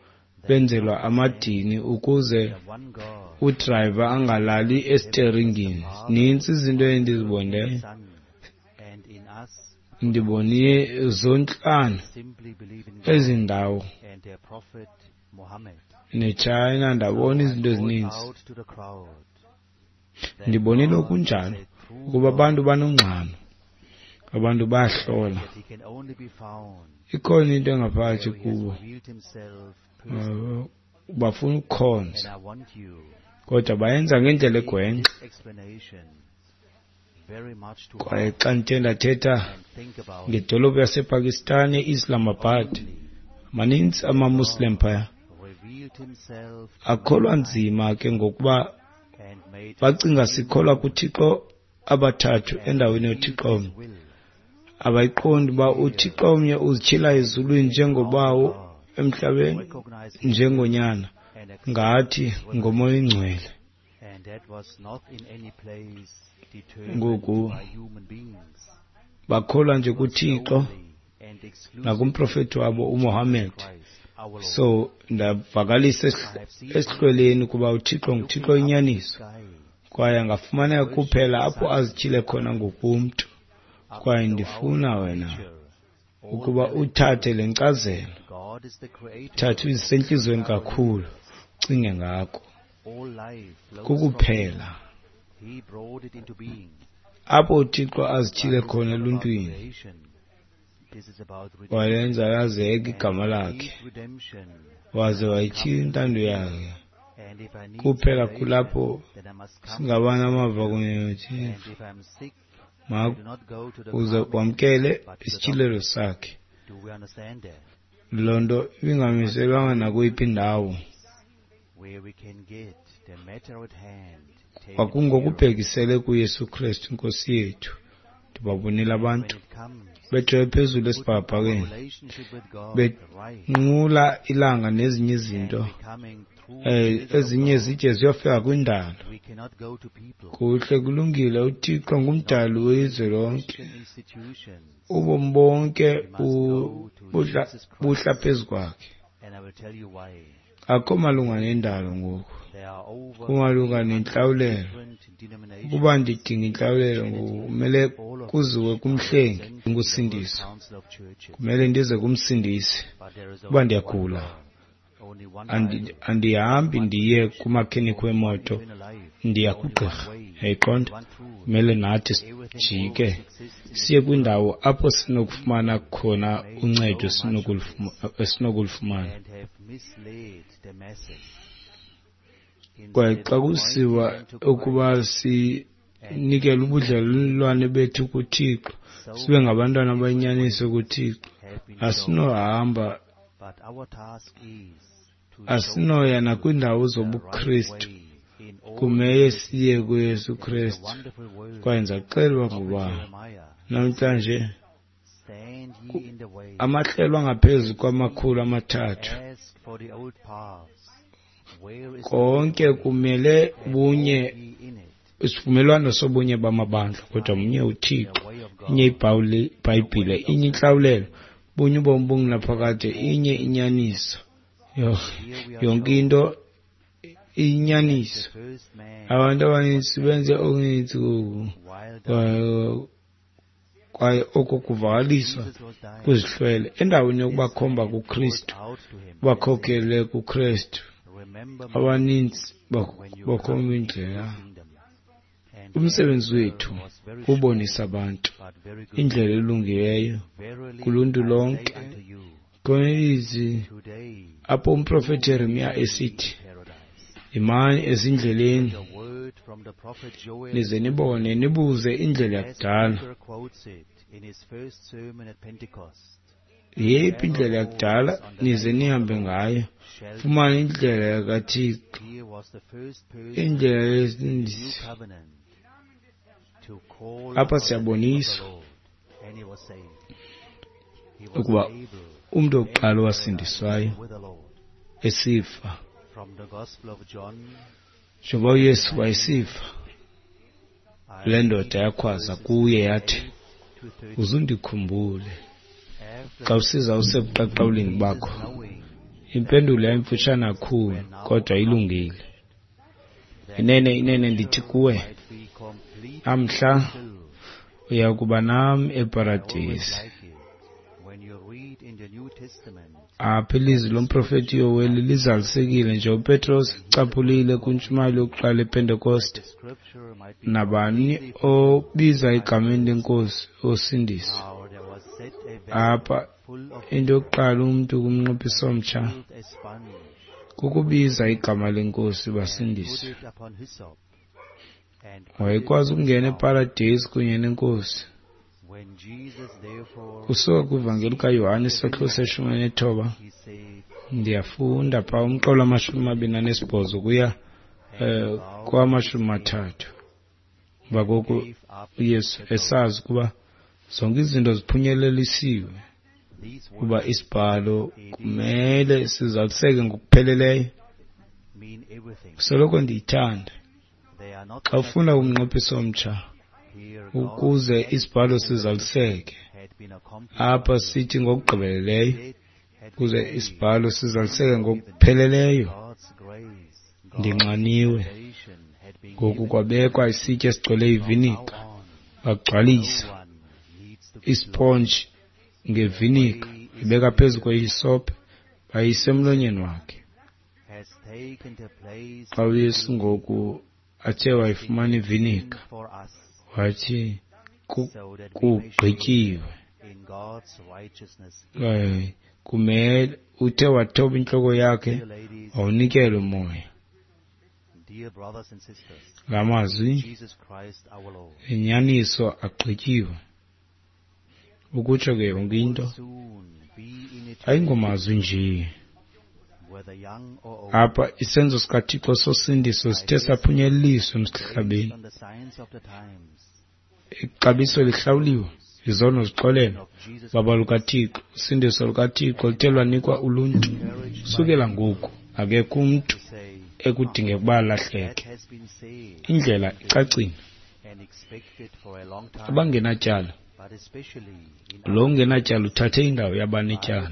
benzelwa amadini ukuze udrayiva angalali esiteringini. Nintsi izinto endizibonileyo, ndibonile zontlanu ezi ndawo. neTshayina, ndabona izinto ezininzi. Ndibonile okunjalo ukuba abantu banongxamo, abantu bayahlola. Ikhona into engaphakathi kubo, bafuna ukukhonza, kodwa bayenza ngendlela egwenxa. Kwaye xa ndithe ndathetha ngedolophu yasePakistan eIslamabad, maninzi amaMuslim phaya. Akholwa nzima ke ngokuba bacinga sikholwa kuThixo abathathu endaweni yoThixo omnye. Abayiqondi uba uThixo omnye uzityhila ezulwini njengoBawo, emhlabeni njengoNyana, ngathi ngoMoya oyiNgcwele. Ngoku bakholwa nje kuThixo nakumprofethi wabo uMohammed. So ndavakalisa esihlweleni ukuba uThixo nguThixo inyaniso, kwaye angafumaneka kuphela apho azityhile khona ngokomntu. Kwaye ndifuna wena ukuba uthathe le nkcazelo, thathe uyisentliziyweni kakhulu, ucinge ngako. Kukuphela apho uThixo azityhile khona eluntwini, walenza lazeka igama lakhe, waze wayityhila intando yakhe. Kuphela kulapho singaba namava kunye noThixo. Uze wamkele isityhilelo sakhe. Loo nto ibingamiselwanga nakweyiphi indawo. Kwakungokubhekisele kuYesu Kristu iNkosi yethu. Ndibabonile abantu bejoye phezulu esibhakabhakeni, benqula ilanga nezinye izinto, ezinye zide ziyofika kwindalo. Kuhle, kulungile, uThixo ngumdali wezwe lonke. Ubomi bonke buhla phezu kwakhe. Akho malunga nendalo ngoku, kumalunga nentlawulelo. Ukuba ndidinga intlawulelo ngoku, kumele kuziwe kumhlengi ngusindiso. Kumele ndize kumsindisi. Ukuba ndiyagula, andihambi ndiye kumakhenikhi wemoto, ndiya kugqirha. Yayiqonda? Kumele nathi sijike siye kwindawo apho sinokufumana khona uncedo esinokulufumana. Kwaye xa kusiwa ukuba sinikele ubudlelwane bethu kuThixo, sibe ngabantwana abayinyaniso kuThixo, asinohamba, asinoya nakwiindawo zobuKristu. Kumele siye kuYesu Kristu. Kwaye ndizaxela ngoba namhlanje amahlelo angaphezu kwama-300 konke kumele bunye, isivumelwano sobunye bamabandla, kodwa mnye uThixo, inye iBhayibhile, inye intlawulelo, bunye ubomi obungunaphakade, inye inyaniso. Yonke into inyaniso. Abantu abaninzi benze okuninzi kwaye oko kuvakaliswa kwizihlwele endaweni yokubakhomba kuKristu, bakhokele kuKristu. Abaninzi bakhomba indlela. Umsebenzi wethu kubonisa abantu indlela elungileyo kuluntu lonke. Khona ilizwi apho umprofeti Jeremiya esithi, yimani ezindleleni nize nibone, nibuze indlela yakudala. Yeyiphi indlela yakudala nize nihambe ngayo? Fumane indlela yakaThixo, indlela yesindiso. Apha siyaboniswa ukuba umntu wokuqala owasindiswayo esifa, njengoba uYesu wayesifa, le ndoda yakhwaza kuye yathi, uzundikhumbule xa usiza usebuqaqawulini bakho. Impendulo yayimfutshane kakhulu, kodwa ilungile. Inene, inene ndithi kuwe, namhla uya kuba nam eParadesi. Apha ilizwi lomprofeti Yoweli lizalisekile nje uPetros ecaphulile kwintshumayelo yokuqala ePentekoste. Nabani obiza egameni leNkosi osindiswa. Apha into yokuqala umntu kumnqophiso omtsha kukubiza igama leNkosi basindiswe. Wayekwazi ukungena eParadesi kunye neNkosi. Kusuka kwivangeli kaYohane isahluko se-19, ndiyafunda phaa umqolo wama-28 kuya kwama-30. Emva koko uYesu esazi ukuba zonke izinto ziphunyelelisiwe, kuba isibhalo kumele sizaliseke ngokupheleleyo. Soloko ndiyithanda xa ufunda umnqophiso omtsha ukuze isibhalo sizaliseke. Apha sithi ngokugqibeleleyo ukuze isibhalo sizaliseke ngokupheleleyo. Ndinxaniwe. Ngoku kwabekwa isitya esigcwele ivinika, bagcwalisa isponji ngevinika, ibeka phezu kwehisope, bayise emlonyeni wakhe. Xa uYesu ngoku athe wayifumana ivinika, wathi kugqityiwe. Kumele uthe wathoba intloko yakhe wawunikela umoya. La mazwi enyaniso agqityiwe. Ukutsho ke yonke into ayingomazwi nje. Apha isenzo sikaThixo sosindiso sithe saphunyeleliswa emhlabeni. Ixabiso lihlawuliwe, izono zixolelwe, baba lukaThixo, usindiso lukaThixo luthe lwanikwa uluntu. Sukela ngoku akekho umntu ekudingeka ukuba alahleke. Indlela icacile. Abangenatyala, lo ungenatyala uthathe indawo yabanetyala,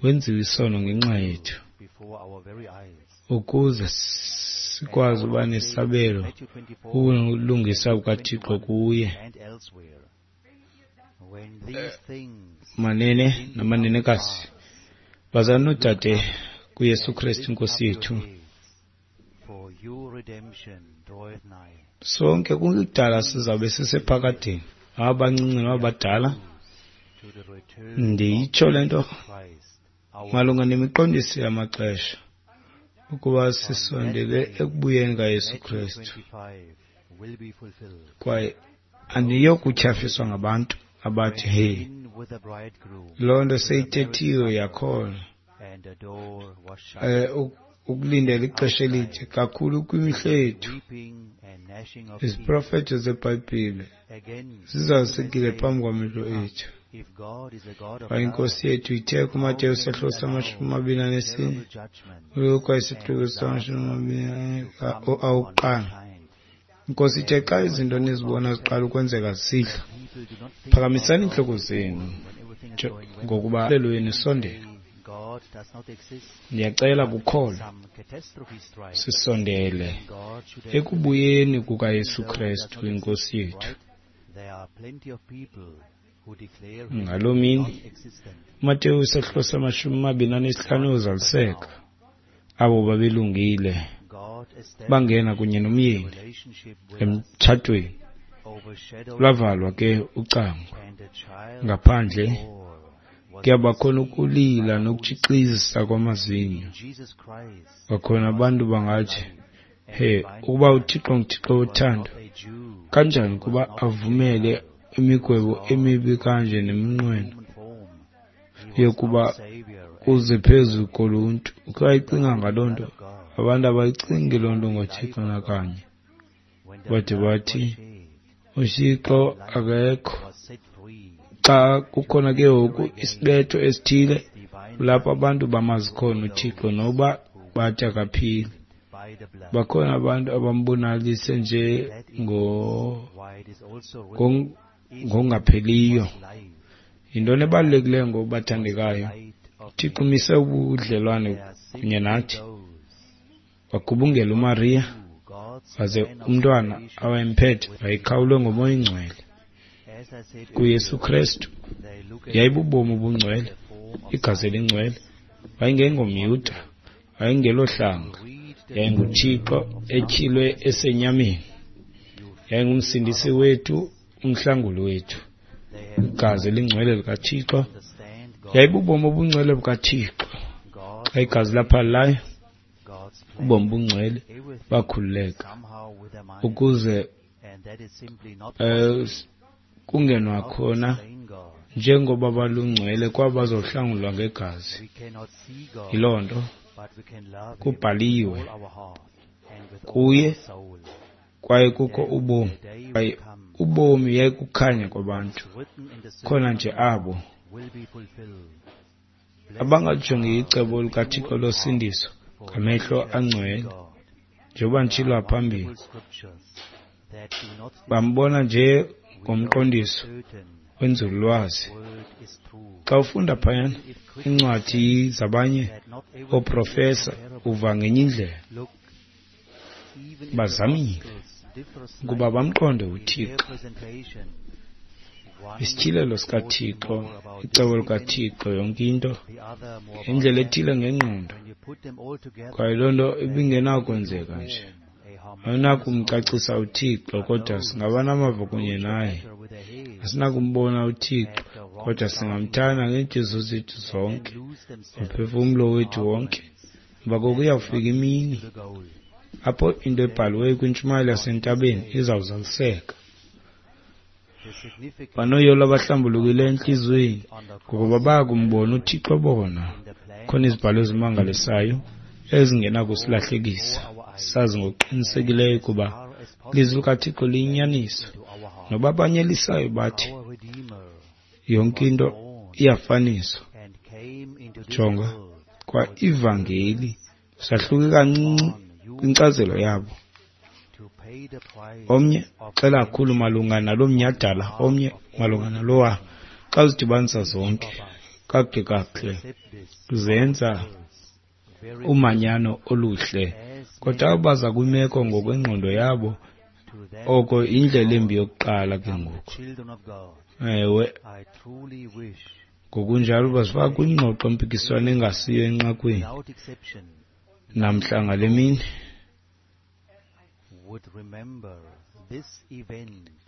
wenziwe isono ngenxa yethu, ukuze sikwazi uba nesabelo ubulungisa bukaThixo kuye. Manene namanenekazi, bazalwane noodade kuYesu Kristu iNkosi yethu, sonke kungekudala sizawube sisephakadeni, abancinci nabadala. Ndiyitsho le nto malunga nemiqondiso yamaxesha, ukuba sisondele ekubuyeni kaYesu Kristu. Kwaye andiyokutyhafiswa ngabantu abathi, hey, loo nto seyithethiwe yakhona. Ukulindela ixesha elide kakhulu kwimihla yethu. Iziprofeto zeBhayibhile zizalisekile phambi kwamehlo ethu. Kwaye iNkosi yethu ithe kuMateyu isahluko sama-24, uLuka isahluko sama-20 awokuqala. Inkosi ithe xa izinto nizibona ziqala ukwenzeka zisihla, phakamisani iintloko zenu ngokuba lwenu isondele. Ndiyacela kukholo sisondele ekubuyeni kukaYesu Kristu iNkosi yethu. Ngaloo mini uMateyu isahluko sama-25 uzaliseka. Abo babelungile bangena kunye nomyeni emtshatweni. Lwavalwa ke ucango ngaphandle, kuyabakhona ukulila nokutshixisa kwamazinyo. Kwakhona abantu bangathi, he, ukuba uThixo nguThixo wothando, kanjani ukuba avumele imigwebo emibi kanje neminqweno yokuba kuze phezu koluntu? Ukhe wayicinga ngaloo nto? Abantu abayicingi loo nto ngoThixo nakanye. Bade bathi uThixo akekho. Xa kukhona ke ngoku isibetho esithile kulapho abantu bamazi khona uThixo noba bathi akaphili. Bakhona abantu abambonalise nje ngongapheliyo. Yintoni ebalulekileyo ngobathandekayo? uThixo umise ubudlelwane kunye nathi. Wagubungela uMariya, waze umntwana awayemphethe wayekhawulwe ngoMoya oyiNgcwele. KuYesu Kristu yayibubomi obungcwele, igazi elingcwele. WayengengoMyuda, wayengelohlanga, yayinguThixo etyhilwe esenyameni. Yayingumsindisi wethu, umhlanguli wethu. Igazi elingcwele likaThixo yayibubomi obungcwele bukaThixo. Xa igazi laphalelayo, ubomi bungcwele bakhululeka ukuze kungenwa khona njengoba balungcwele kwabo bazohlangulwa ngegazi. Yiloo nto kubhaliwe kuye kwaye kukho ubomi, kwaye ubomi yayikukhanya kwabantu. Khona nje abo abangajongi icebo likaThixo losindiso ngamehlo angcwele, njengoba nditshilo phambili, bambona nje ngomqondiso wenzululwazi. Xa ufunda phayana iincwadi zabanye ooprofesa, uva ngenye indlela. Bazamile ukuba bamqonde uThixo, isityhilelo sikaThixo, icebo likaThixo, yonke into ngendlela ethile ngengqondo, kwaye loo nto ibingenakwenzeka nje. Awunakumcacisa uThixo, kodwa singaba namava kunye naye. Asinakumbona uThixo, kodwa singamthanda ngeentliziyo zethu zonke, ngomphefumlo wethu wonke. Emva koko iyawufika imini apho into ebhaliweyo kwintshumayelo yasentabeni izawuzaliseka. Banoyolo abahlambulukileyo entliziyweni, ngokuba baya kumbona uThixo bona. Khona izibhalo ezimangalisayo ezingenakusilahlekisa, sazi ngokuqinisekileyo ukuba ilizwi likaThixo liyinyaniso. Noba abanyelisayo bathi yonke into iyafaniswa, jonga kwa ivangeli sahluke kancinci kwinkcazelo yabo. Omnye uxela kakhulu malunga nalo mnyhadala, omnye malunga nalowa. Xa uzidibanisa zonke kakuhle kakuhle zenza umanyano oluhle, kodwa baza kwimeko ngokwengqondo yabo, oko yindlela embi yokuqala ke ngoku. Ewe, ngokunjalo bazifaka kwingxoxo mpikiswano engasiyo enqakwini namhla ngale mini.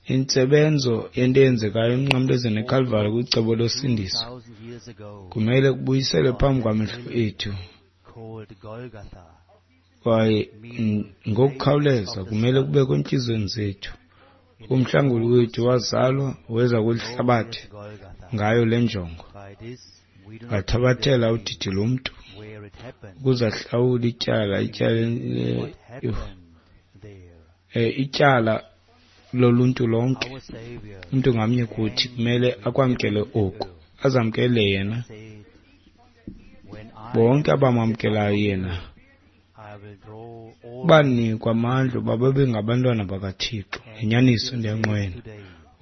Intsebenzo yento eyenzekayo emnqamlezweni eKalvari kwicebo losindiso kumele kubuyiselwe phambi kwamehlo ethu, kwaye ngokukhawuleza kumele kubekho entliziyweni zethu. Umhlanguli wethu wazalwa weza kweli hlabathi ngayo le njongo, wathabathela udidi lomntu ukuze ahlawule ityala, ityala loluntu lonke. Umntu ngamnye kuthi kumele akwamkele oku, azamkele yena. Bonke abamamkelayo yena banikwa amandla uba babe ngabantwana bakaThixo. Ngenyaniso ndiyanqwena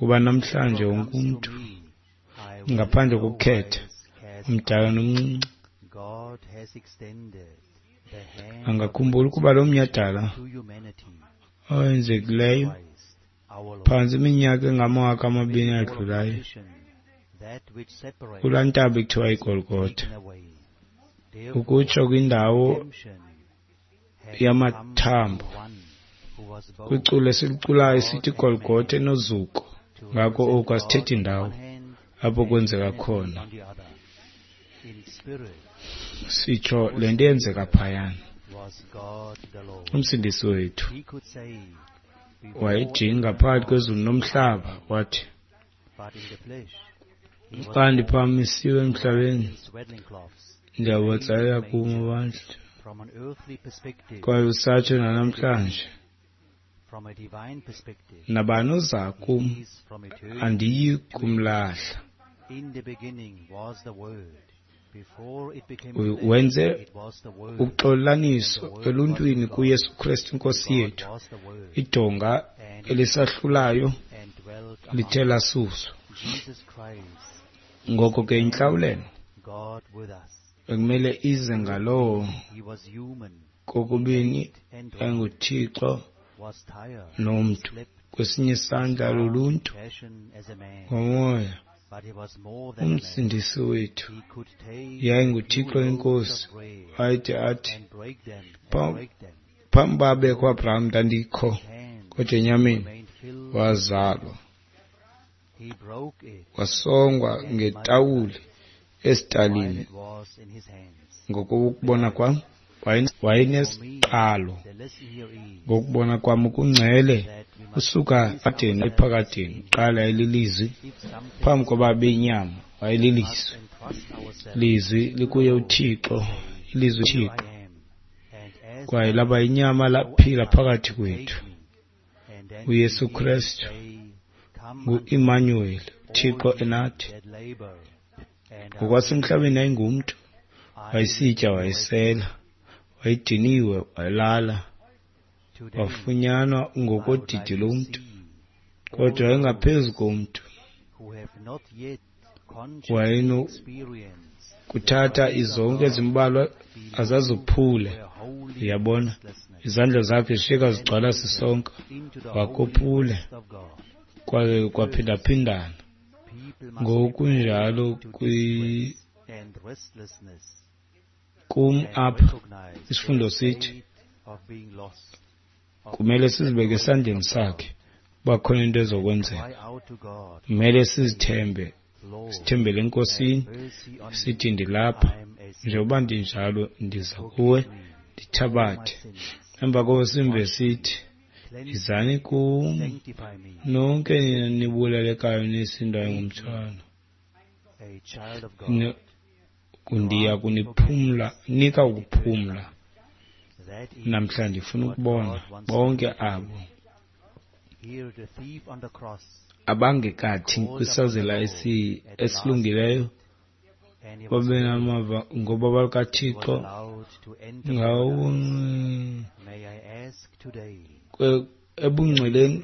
uba namhlanje wonke umntu, ngaphandle kokukhetha umdala nomncinci, angakhumbula ukuba lo mnyhadala owenzekileyo phantsi iminyaka engamawaka amabini adlulayo kulaa ntaba ekuthiwa iGolgotha, ukutsho kwindawo yamathambo, kwiculo esiliculayo sithi iGolgotha enozuko. Ngako oku asithethi ndawo apho kwenzeka khona, sitsho le nto yenzeka phayana. Umsindisi wethu wayejinga phakathi kwezulu nomhlaba, wathi, xa ndiphamisiwe emhlabeni, ndiyabatsalela kum abantu. Kwaye usatsho nanamhlanje, nabani oza kum andiyi kumlahla. Wenze uxolaniso eluntwini kuYesu Kristu iNkosi yethu. Idonga elisahlulayo lithe lasuswa. Ngoko ke intlawulelo ekumele ize ngalowo kokubini enguThixo nomntu, kwesinye isandla luluntu ngomoya. Umsindisi wethu yayinguThixo iNkosi, wayede athi phambi uba abekho uAbraham ndandikho, kodwa enyameni wazalwa, wasongwa ngetawuli esitalini. Ngokokubona kwam wayenesiqalo, ngokubona kwam ukungcele usuka adeni ephakadeni. Qala yayililizwi, phambi koba abe inyama wayelilizwi. Lizwi likuye uThixo, ilizwi Thixo, kwaye laba inyama laphila phakathi kwethu. uYesu Kristu ngu-Emmanuel, uThixo enathi. Ngokwasemhlabeni yayingumntu, wayesitya, wayesela, wayediniwe, wayelala, wafunyanwa ngokodidi lomntu, kodwa wayengaphezu komntu. Wayenokuthatha izonka ezimbalwa azazophule, uyabona, izandla zakhe zishiyeka zigcwala sisonka, wakophule, kwaye kwaphindaphindana ngokunjalo kum apha isifundo sithi kumele sizibeke esandleni sakhe uba khona into ezokwenzeka. Kumele sizithembe, sithembele eNkosini, sithi ndilapha njengoba ndinjalo, ndiza kuwe, ndithabathe. Emva koko simve sithi, yizani kum nonke nina nibulalekayo nisindwayo ngumthwalo, ndiya kuniphumla, nika ukuphumla. Namhla ndifuna ukubona bonke abo abangekathi kwisazela esilungileyo babe namava ngobabalo lukaThixo ngawo ebungcweleni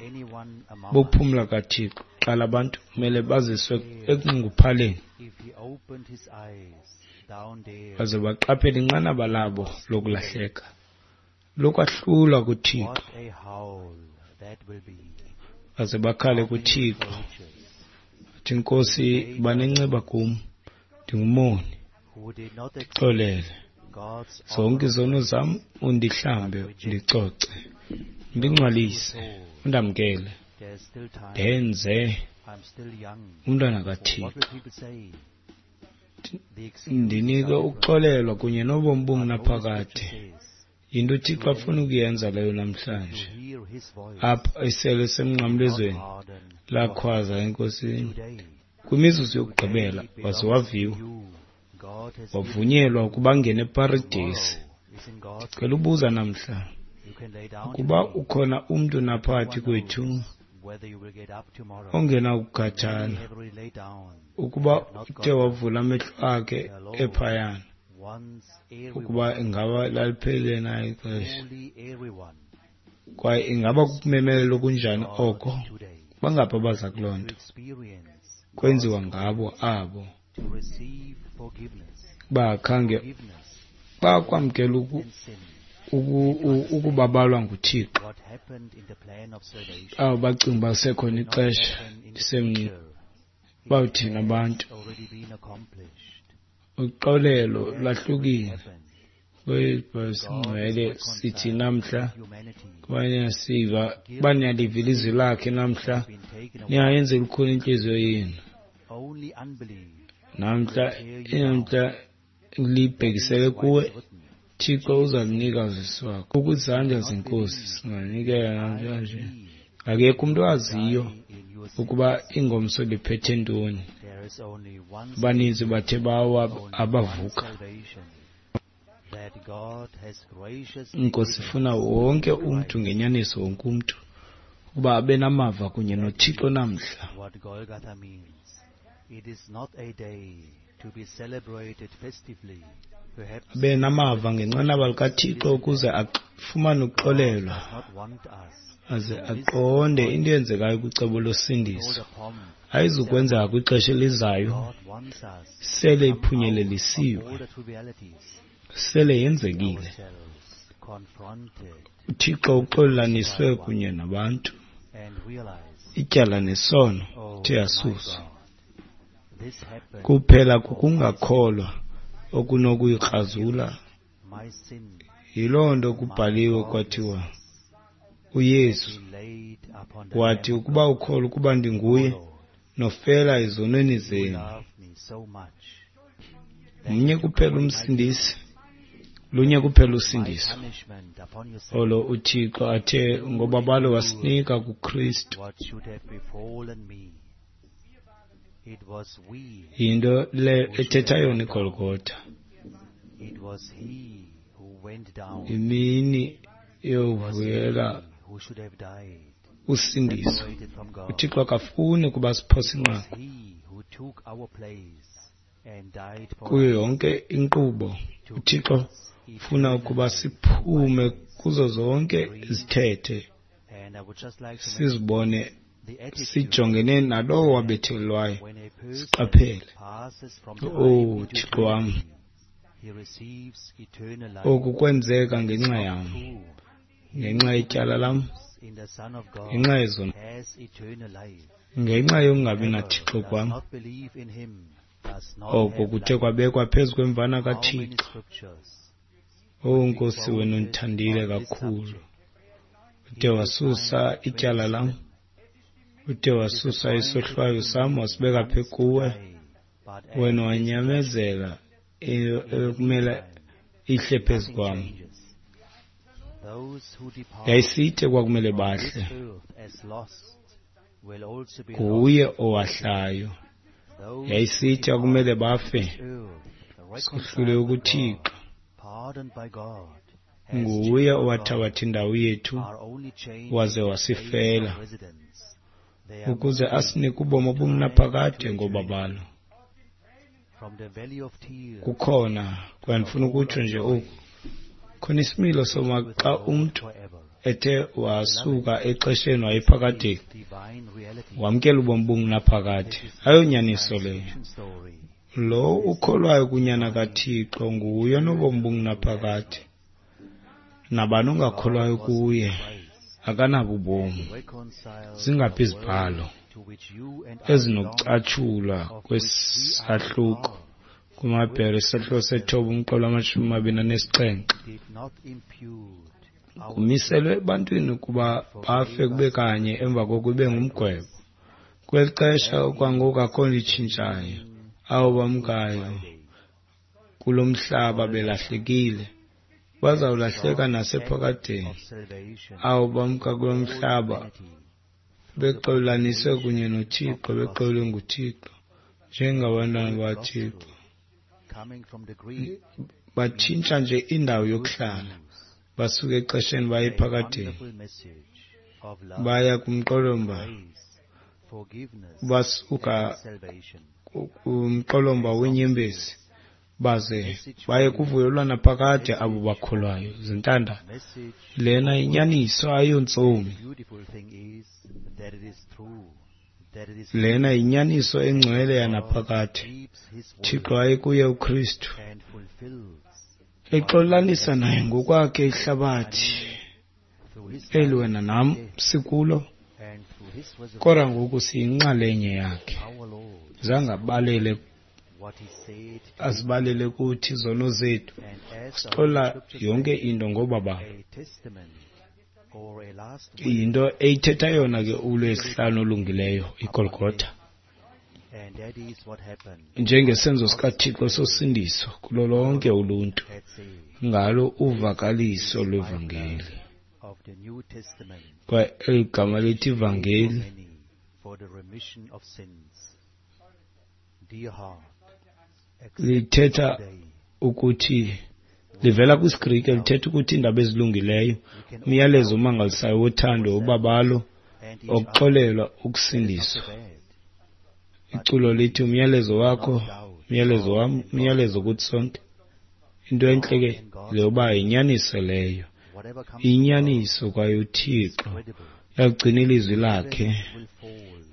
bokuphumla kaThixo. Qala abantu kumele baziswe ekunxunguphaleni baze baqaphele inqanaba labo lokulahleka, lokwahlulwa kuThixo, baze bakhale kuThixo athi, Nkosi, banenceba kum, ndingumoni, ndixolele zonke izono zam, undihlambe, undicoce, undingcwalise, undamkele, ndenze umntwana kaThixo, ndinike ukuxolelwa kunye nobomi obungunaphakade. Yinto uThixo afuna ukuyenza leyo namhlanje. Apha isele semnqamlezweni lakhwaza eNkosini kwimizuzu yokugqibela, waze waviwa, wavunyelwa ukuba angene eParadesi. Ndicela ubuza namhla ukuba ukhona umntu naphakathi kwethu ongenakukhathala ukuba uthe wavula amehlo akhe ephayana, ukuba ingaba laliphelile na ixesha, kwaye ingaba kukumemelela okunjani oko. Bangaphi abaza kuloo nto? Kwenziwa ngabo abo bakhange bakwamkela ukubabalwa nguThixo, abo bacinga uba kusekhona ixesha ndisemncinci. Bawuthini abantu? Uxolelo lwahlukile kwezibhalo sithi namhla kuba uba niyaliva ilizwi lakhe namhla, ningayenzi lukhuni intliziyo yenu. Namhla namhla libhekisele kuwe, Thixo uza kunika uzisi wakho. Ukwizandla zeNkosi singanikela namhlanje. Akekho umntu owaziyo ukuba ingomso liphethe ntoni. Abaninzi bathe bawa abavuka. INkosi ifuna wonke umntu, ngenyaniso wonke umntu, ukuba abe namava kunye noThixo namhla. Abe namava ngenqanaba likaThixo ukuze afumane ukuxolelwa aze aqonde into eyenzekayo kwicebo losindiso. Ayizukwenzeka kwixesha elizayo, sele iphunyelelisiwe, sele yenzekile. uThixo uxolelaniswe kunye nabantu, ityala nesono ithe yasuswa. Kuphela kukungakholwa okunokuyikrazula. Yiloo nto kubhaliwe kwathiwa, uYesu wathi, ukuba ukholwa ukuba ndinguye, nofela ezonweni zenu. Mnye kuphela uMsindisi, lunye kuphela usindiso olo uThixo athe ngobabalo wasinika kuKristu. Yinto le ethetha yona iGolgotha. Imini yovuyela usindiso. UThixo akafuni ukuba siphose inqaku kuyo yonke inkqubo. UThixo ufuna ukuba siphume kuzo zonke izithethe, sizibone sijongene nalowo wabethelwayo, siqaphele. Oh Thixo wam, oku kwenzeka ngenxa yam, ngenxa yetyala lam, ngenxa yezono, ngenxa yokungabi naThixo kwam. Oko kuthe kwabekwa phezu kwemvana kaThixo. Oh Nkosi, wena undithandile kakhulu, ude wasusa ityala lam, ude wasusa isohlwayo sam, wasibeka phe kuwe. Wena wanyamezela ekumele ihle phezu kwam. Yayisithe kwakumele bahle, nguye owahlayo. Yayisithi akumele bafe, sohlule ukuThixo, nguye owathabatha indawo yethu waze wasifela, ukuze asinike ubomi obungunaphakade ngobabalo. Kukhona, kwaye ndifuna ukutsho nje oku, khona isimilo soma xa umntu ethe wasuka exesheni wayephakadeni, wamkela ubomi obungunaphakade. Ayonyaniso leyo. Lo ukholwayo kuNyana kaThixo nguye onobomi obungunaphakade. Nabani ongakholwayo kuye akanabo ubomi. Zingaphi izibhalo ezinokucatshulwa kwesahluko kumaBhere isahluko 9 umqolo 27. Kumiselwe ebantwini ukuba bafe kube kanye, emva koko ibe ngumgwebo. Kweli xesha kwangoku akho nto itshintshayo. Abo bamkayo kulo mhlaba belahlekile bazawulahleka nasephakadeni. Abo bamka kulo mhlaba bexolaniswe kunye noThixo, bexolwe nguThixo njengabantwana bakaThixo, batshintsha nje indawo yokuhlala, basuka exesheni baye ephakadeni, baya kumqolomba, basuka kumqolomba wenyembezi baze baye kuvuyo lwanaphakade abo bakholwayo. Zintanda, lena inyaniso ayontsomi. Lena yinyaniso engcwele yanaphakade. Thixo wayekuye uKristu, exolanisa naye ngokwakhe ihlabathi eli wena nam sikulo, kodwa ngoku siyinxalenye yakhe. Zangabalele azibalele kuthi izono zethu, sixola yonke into ngobabalo. Yinto eyithetha yona ke uLwesihlanu olungileyo, iGolgotha, njengesenzo sikaThixo sosindiso kulo lonke uluntu ngalo uvakaliso lwevangeli. Kwaye eli gama lithi ivangeli lithetha ukuthi, livela kwisiGrike, lithetha ukuthi iindaba ezilungileyo, umyalezo omangalisayo wothando, ubabalo, okuxolelwa, ukusindiswa. Iculo lithi umyalezo wakho, umyalezo wam, umyalezo kuthi sonke. Into entle ke leyoba yinyaniso leyo, inyaniso, kwaye uThixo uyagcina ilizwi lakhe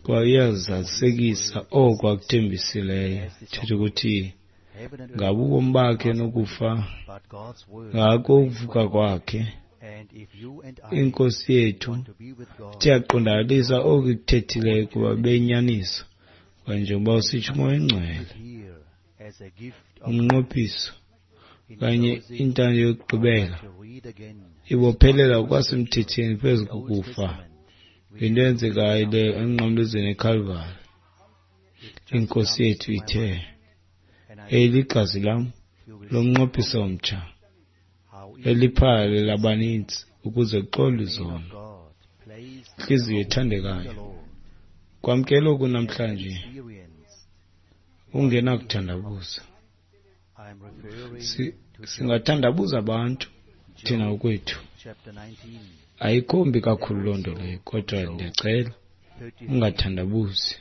kwaye uyazalisekisa oko akuthembisileyo. Thetha ukuthi ngabo ubomi bakhe nokufa, ngako ukuvuka kwakhe, iNkosi yethu ithe yaqondakalisa oku ikuthethileyo kuba beyinyaniso. Kwaye njengoba usitsho uMoya oyiNgcwele, umnqophiso okanye intando yokugqibela ibophelela ngokwasemthethweni phezu kokufa. Yinto eyenzekayo leyo emnqamlezweni eKhalvari. INkosi yethu ithe, "Eli ligazi lam lomnqophiso omtsha, eliphalale labaninzi ukuze kuxolwe izono." Intliziyo ethandekayo, kwamkela oku namhlanje ungenakuthandabuza. Singathandabuza abantu thina ngokwethu. Ayikho mbi kakhulu loo nto leyo, kodwa ndiyacela ungathandabuzi.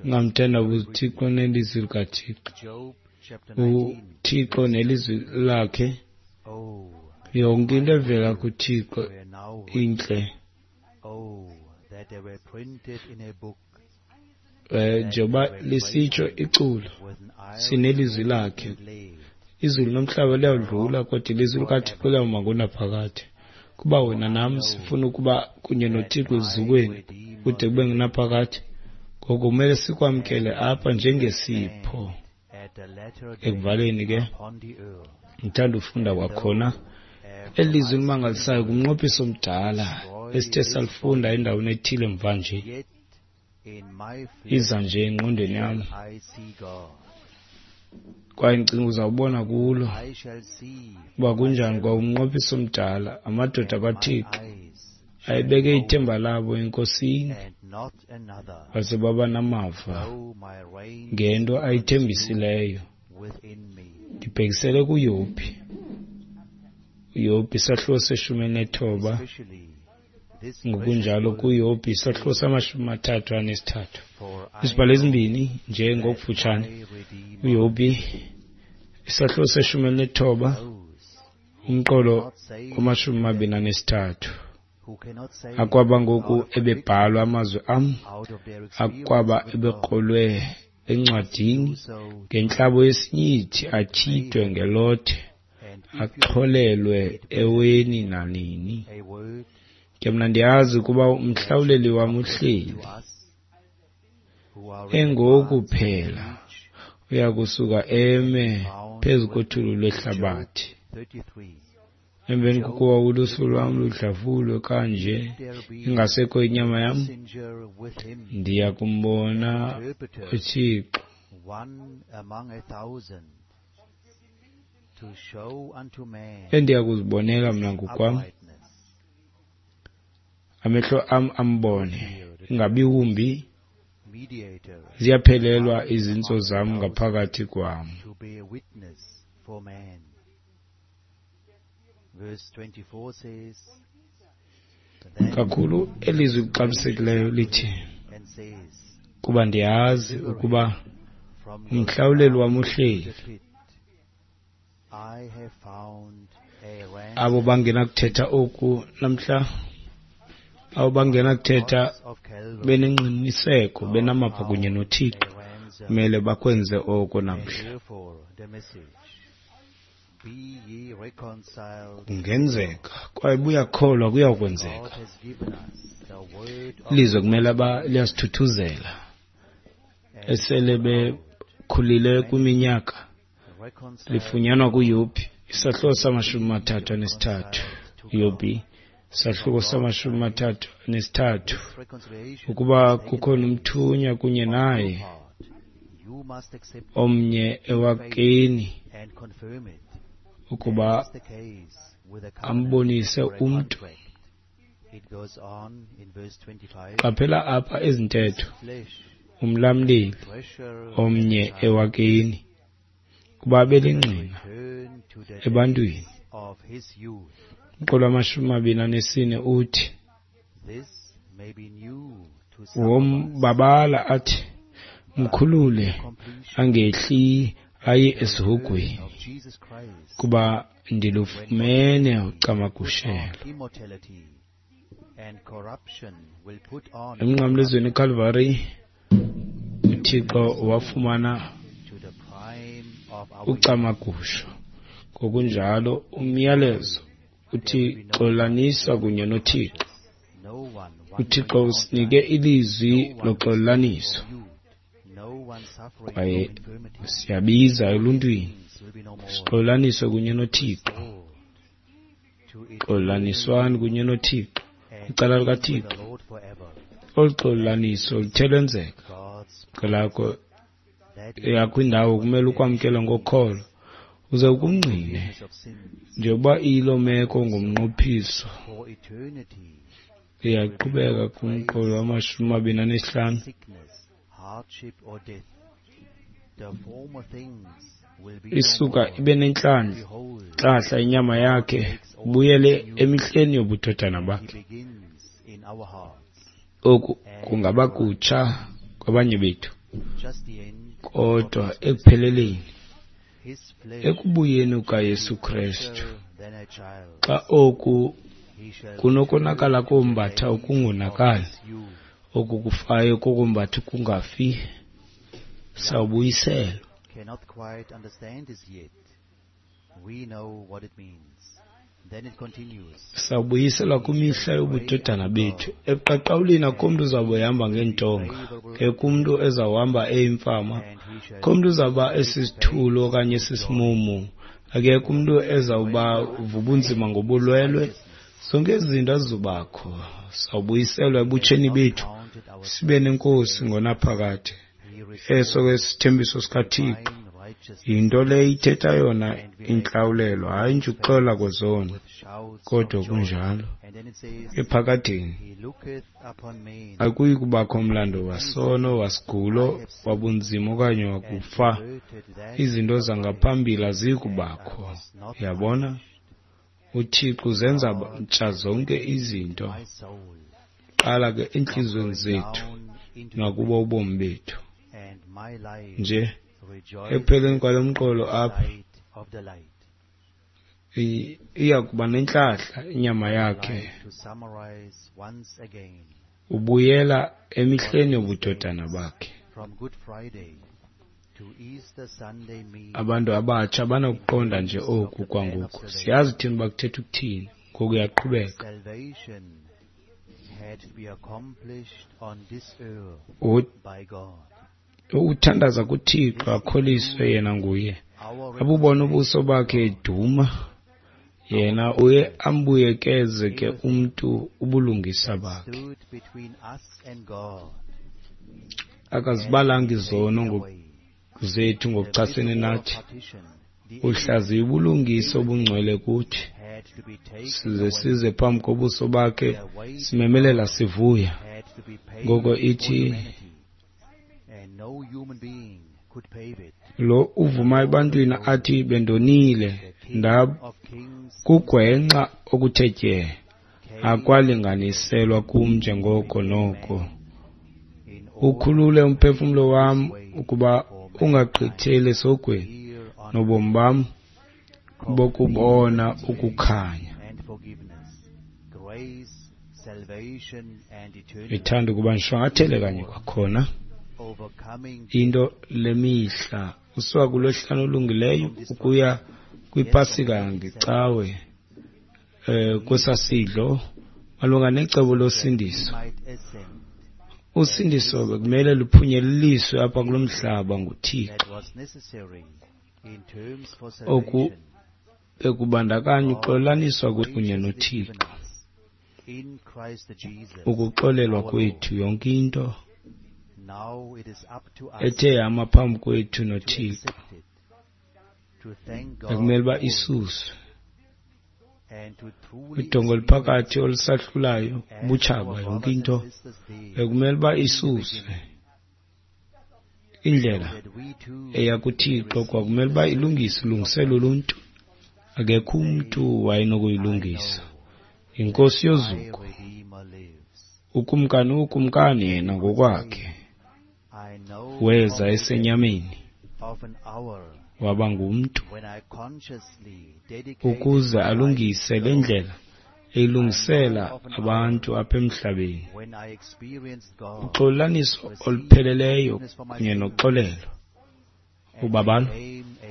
Ungamthandabuzi uThixo nelizwi likaThixo. UThixo nelizwi lakhe, yonke into evela kuThixo intle. Njengoba lisitsho iculo, sinelizwi lakhe. Izulu nomhlaba liyawudlula, kodwa ilizwi likaThixo liyawuma ngonaphakade. Kuba wena nam sifuna ukuba kunye noThixo ezukweni kude kube ngunaphakade, ngoko kumele sikwamkele apha njengesipho. Ekuvaleni ke, ndithanda ufunda kwakhona eli lizwi limangalisayo kumnqophiso omdala esithe salifunda endaweni ethile mvanje. Iza nje engqondweni yam, kwaye ndicinga uzawubona kulo uba kunjani. Kwa umnqophiso omdala, amadoda kaThixo ayebeke ithemba labo eNkosini, baze baba namava ngento ayithembisileyo. Ndibhekisele kuYobhi. UYobhi isahluko se-19, ngokunjalo kuYobhi isahluko sama-33. Izibhalo ezimbini nje ngokufutshane. UYobhi isahluko se-19, umqolo wama-23. Akwaba ngoku ebebhalwa amazwi am, akwaba ebekrolwe encwadini ngentlabo yesinyithi, atyhidwe ngelothe, axholelwe eweni nanini. Ke mna ndiyazi ukuba umhlawuleli wam uhleli, engoku phela uya kusuka eme phezu kothuli lwehlabathi. Emveni kokuba ulusu lwam ludlavulwe kanje, ingasekho inyama yam, ndiya kumbona uThixo. Endiya kuzibonela mna ngokwam, amehlo am ambone, ingabi wumbi, ziyaphelelwa izintso zam ngaphakathi kwam. Kakhulu elizwi lixabisekileyo lithi, kuba ndiyazi ukuba umhlawuleli wam uhleli. Abo bangenakuthetha oku namhla, abo bangenakuthetha benengqiniseko, benamava kunye noThixo, kumele bakwenze oko namhla. Kungenzeka, kwaye buyakholwa kuyawukwenzeka. Ilizwe kumele uba liyasithuthuzela esele bekhulile kwiminyaka. Lifunyanwa kuYobhi isahluko sama-33. Yobhi isahluko sama-33. Ukuba kukhona umthunywa kunye naye omnye ewakeni ukuba ambonise umntu. Qaphela apha ezintetho, umlamleli omnye ewakeni kuba belingqina ebantwini. Umqolo wama-24 uthi wombabala athi mkhulule angehli aye esihogweni, kuba ndilufumene ucamagushelo. Emnqamlezweni eKalvari uThixo wafumana ucamagusho. Ngokunjalo umyalezo uthi xolanisa kunye noThixo. UThixo usinike ilizwi loxolaniso. Kwaye siyabiza eluntwini, sixolelaniswe kunye noThixo. Xolelaniswani kunye noThixo, kwicala likaThixo. Olu xolelaniso luthe lwenzeka. Kwelakho eyakho indawo kumele ukwamkele ngokholo uze ukungqine njengoba iyiloo meko ngomnqophiso. Iyaqhubeka kumqolo wama-25. Isuka ibe nentlahla inyama yakhe, ubuyele emihleni yobudodana bakhe. Oku kungaba kutsha kwabanye bethu, kodwa ekupheleleni, ekubuyeni kukaYesu Kristu, xa oku kunokonakala kombatha ukungonakali, oku kufayo kokombatha ukungafi, sawubuyiselwa. Sawubuyiselwa kwimihla yobudodana bethu. Ebuqaqawulini akukho mntu uzawube ehamba ngeentonga, akekho umntu ezawuhamba eyimfama, akukho mntu uzawuba esisithulu okanye esisimumu, akekho umntu ezawuba vubunzima ngobulwelwe. Zonke ezi zinto azizubakho. Sawubuyiselwa ebutsheni bethu, sibe nenkosi ngonaphakade. Eso ke sithembiso sikaThixo. Yinto le ithetha yona intlawulelo, hayi nje ukuxola kwezono, kodwa kunjalo. Ephakadeni akuyi kubakho mlando wasono, wasigulo, wabunzima okanye wakufa. Izinto zangaphambili aziyi kubakho. Yabona? UThixo uzenza ntsha zonke izinto. Qala ke entliziyweni zethu nakubo ubomi bethu. Nje ekupheleni kwalo mqolo apha iya kuba nentlahla inyama yakhe, ubuyela emihleni yobudodana bakhe. Abantu abatsha banokuqonda nje oku kwangoku. Siyazi thina uba kuthetha ukuthini. Ngoku uyaqhubeka. Uthandaza kuThixo akholiswe yena nguye. Abubona ubuso bakhe eduma, yena uye ambuyekeze ke umntu ubulungisa bakhe. Akazibalanga izono zethu ngokuchasene nathi. Uhlaziya ubulungisa obungcwele kuthi, size size phambi kobuso bakhe simemelela sivuya. Ngoko ithi lo uvuma ebantwini athi bendonile ndakugwenxa okuthe tye, akwalinganiselwa kum njengoko noko. Ukhulule umphefumlo wam ukuba ungagqitheli esogweni, nobomi bam bokubona ukukhanya. Ndithanda ukuba ndishwankathele kanye kwakhona into lemihla usuka kulwesihlanu olungileyo ukuya kwiPasika ngeCawe, kwesasidlo malunga necebo losindiso. Usindiso bekumele luphunyeleliswe apha kulo mhlaba nguThixo. Oku bekubandakanya uxolelaniswa kunye noThixo, ukuxolelwa kwethu yonke into ethe yama phambi kwethu noThixo bekumele uba isuswe. Udongo oluphakathi olusahlulayo, ubutshaba, yonke into bekumele uba isuswe. Indlela eya kuThixo kwakumele uba ilungiswe, ilungiselwe uluntu. Akekho umntu wayenokuyilungisa. Yinkosi yozuko, ukumkani wokumkani yena ngokwakhe weza esenyameni, waba ngumntu ukuze alungise le ndlela eyilungisela abantu apha emhlabeni. Uxolelaniso olupheleleyo kunye noxolelo, ubabalo,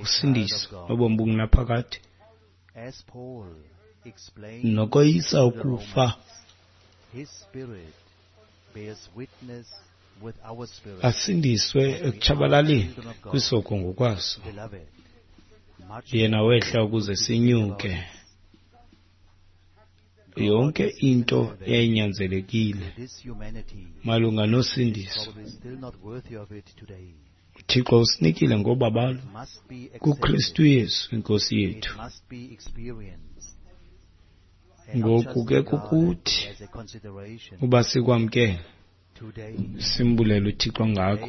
usindiso nobomi obungunaphakade, nokoyisa ukufa. Asindiswe ekutshabalaleni kwisoko ngokwaso. Yena wehla ukuze sinyuke. Yonke into yayinyanzelekile malunga nosindiso. UThixo usinikile ngobabalo kuKristu Yesu iNkosi yethu. Ngoku ke kukuthi uba sikwamkele, simbulele uThixo ngako,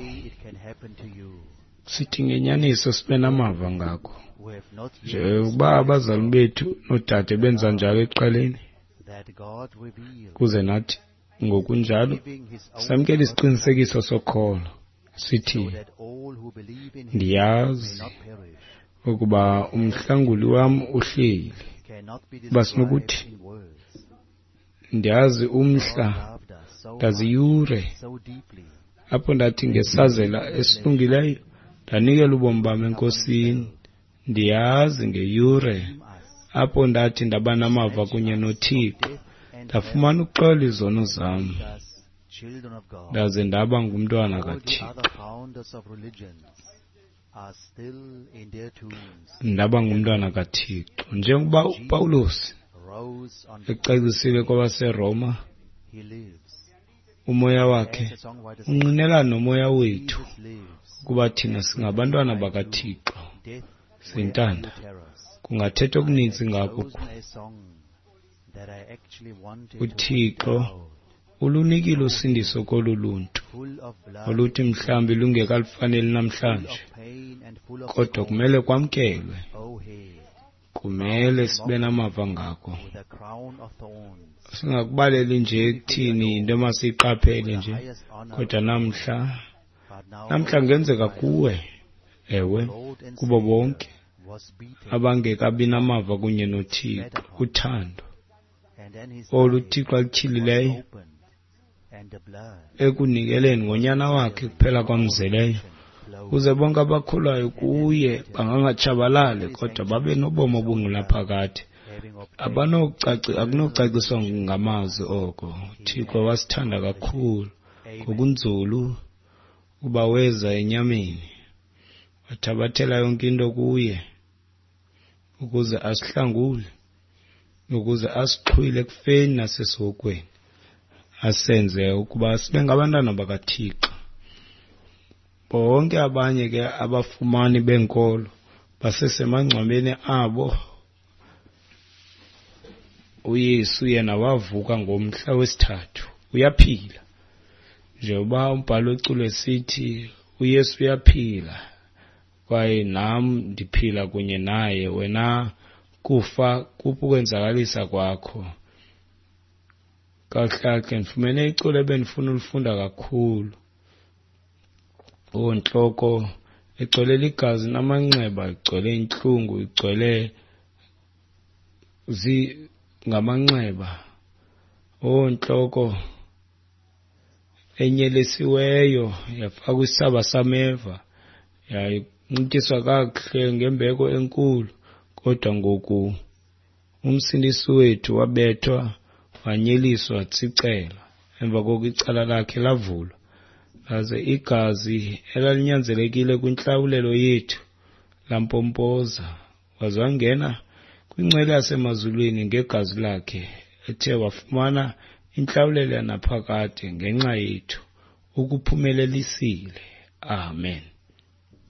sithi ngenyaniso sibe namava ngako. Njengokuba abazali bethu noodade benza njalo ekuqaleni, kuze nathi ngokunjalo samkele isiqinisekiso sokholo, sithi ndiyazi ukuba umhlanguli wam uhleli. Uba sinokuthi ndiyazi umhla, ndazi iyure apho ndathi ngesazela esilungileyo ndanikela ubomi bam eNkosini. Ndiyazi ngeyure apho ndathi ndaba namava kunye noThixo, ndafumana uxolo izono zam, ndaze ndaba ngumntwana kaThixo. Ndaba ngumntwana kaThixo. Njengokuba uPawulos ecacisile kwabaseRoma, umoya wakhe unqinelana nomoya wethu ukuba thina singabantwana bakaThixo. Sintanda, kungathethwa okuninzi ngako. UThixo ulunikile usindiso kolu luntu oluthi mhlawumbi lungekalufaneli namhlanje, kodwa kumele kwamkelwe, kumele sibe namava ngako. Singakubaleli nje ekuthini yinto emasiyiqaphele nje, kodwa namhla kungenzeka kuwe, ewe, kubo bonke abangekabi namava kunye noThixo, uthando olu Thixo alutyhilileyo ekunikeleni ngonyana wakhe kuphela kwamzeleyo, ukuze bonke abakholwayo kuye bangangatshabalali kodwa babe nobomi obungunaphakade. Akunokucaciswa ngamazwi oko. UThixo wasithanda kakhulu ngokunzulu ukuba weza enyameni, wathabathela yonke into kuye ukuze asihlangule, ukuze asixhwile ekufeni nasesihogweni, asenze ukuba sibe ngabantwana bakaThixo. Bonke abanye ke abafumani benkolo basesemangcwabeni abo. uYesu yena wavuka ngomhla wesithathu, uyaphila. Njengoba umbhalo weculo esithi uYesu uyaphila kwaye nam ndiphila kunye naye, wena kufa kuphi ukwenzakalisa kwakho. Kakuhle ndifumene iculo ebendifuna ulifunda kakhulu. Ontloko igcwele ligazi namanxeba, igcwele intlungu, igcwele ngamanxeba. Ontloko enyelisiweyo yafakwa isaba sameva, yayinxityiswa kakuhle ngembeko enkulu, kodwa ngoku uMsindisi wethu wabethwa, wanyeliswa, watsicela. Emva koko icala lakhe lavulwa, laze igazi elalinyanzelekile kwintlawulelo yethu lampompoza, waze wangena kwingcwele yasemazulwini ngegazi lakhe, ethe wafumana intlawulelo yanaphakade ngenxa yethu. Ukuphumelelisile. Amen.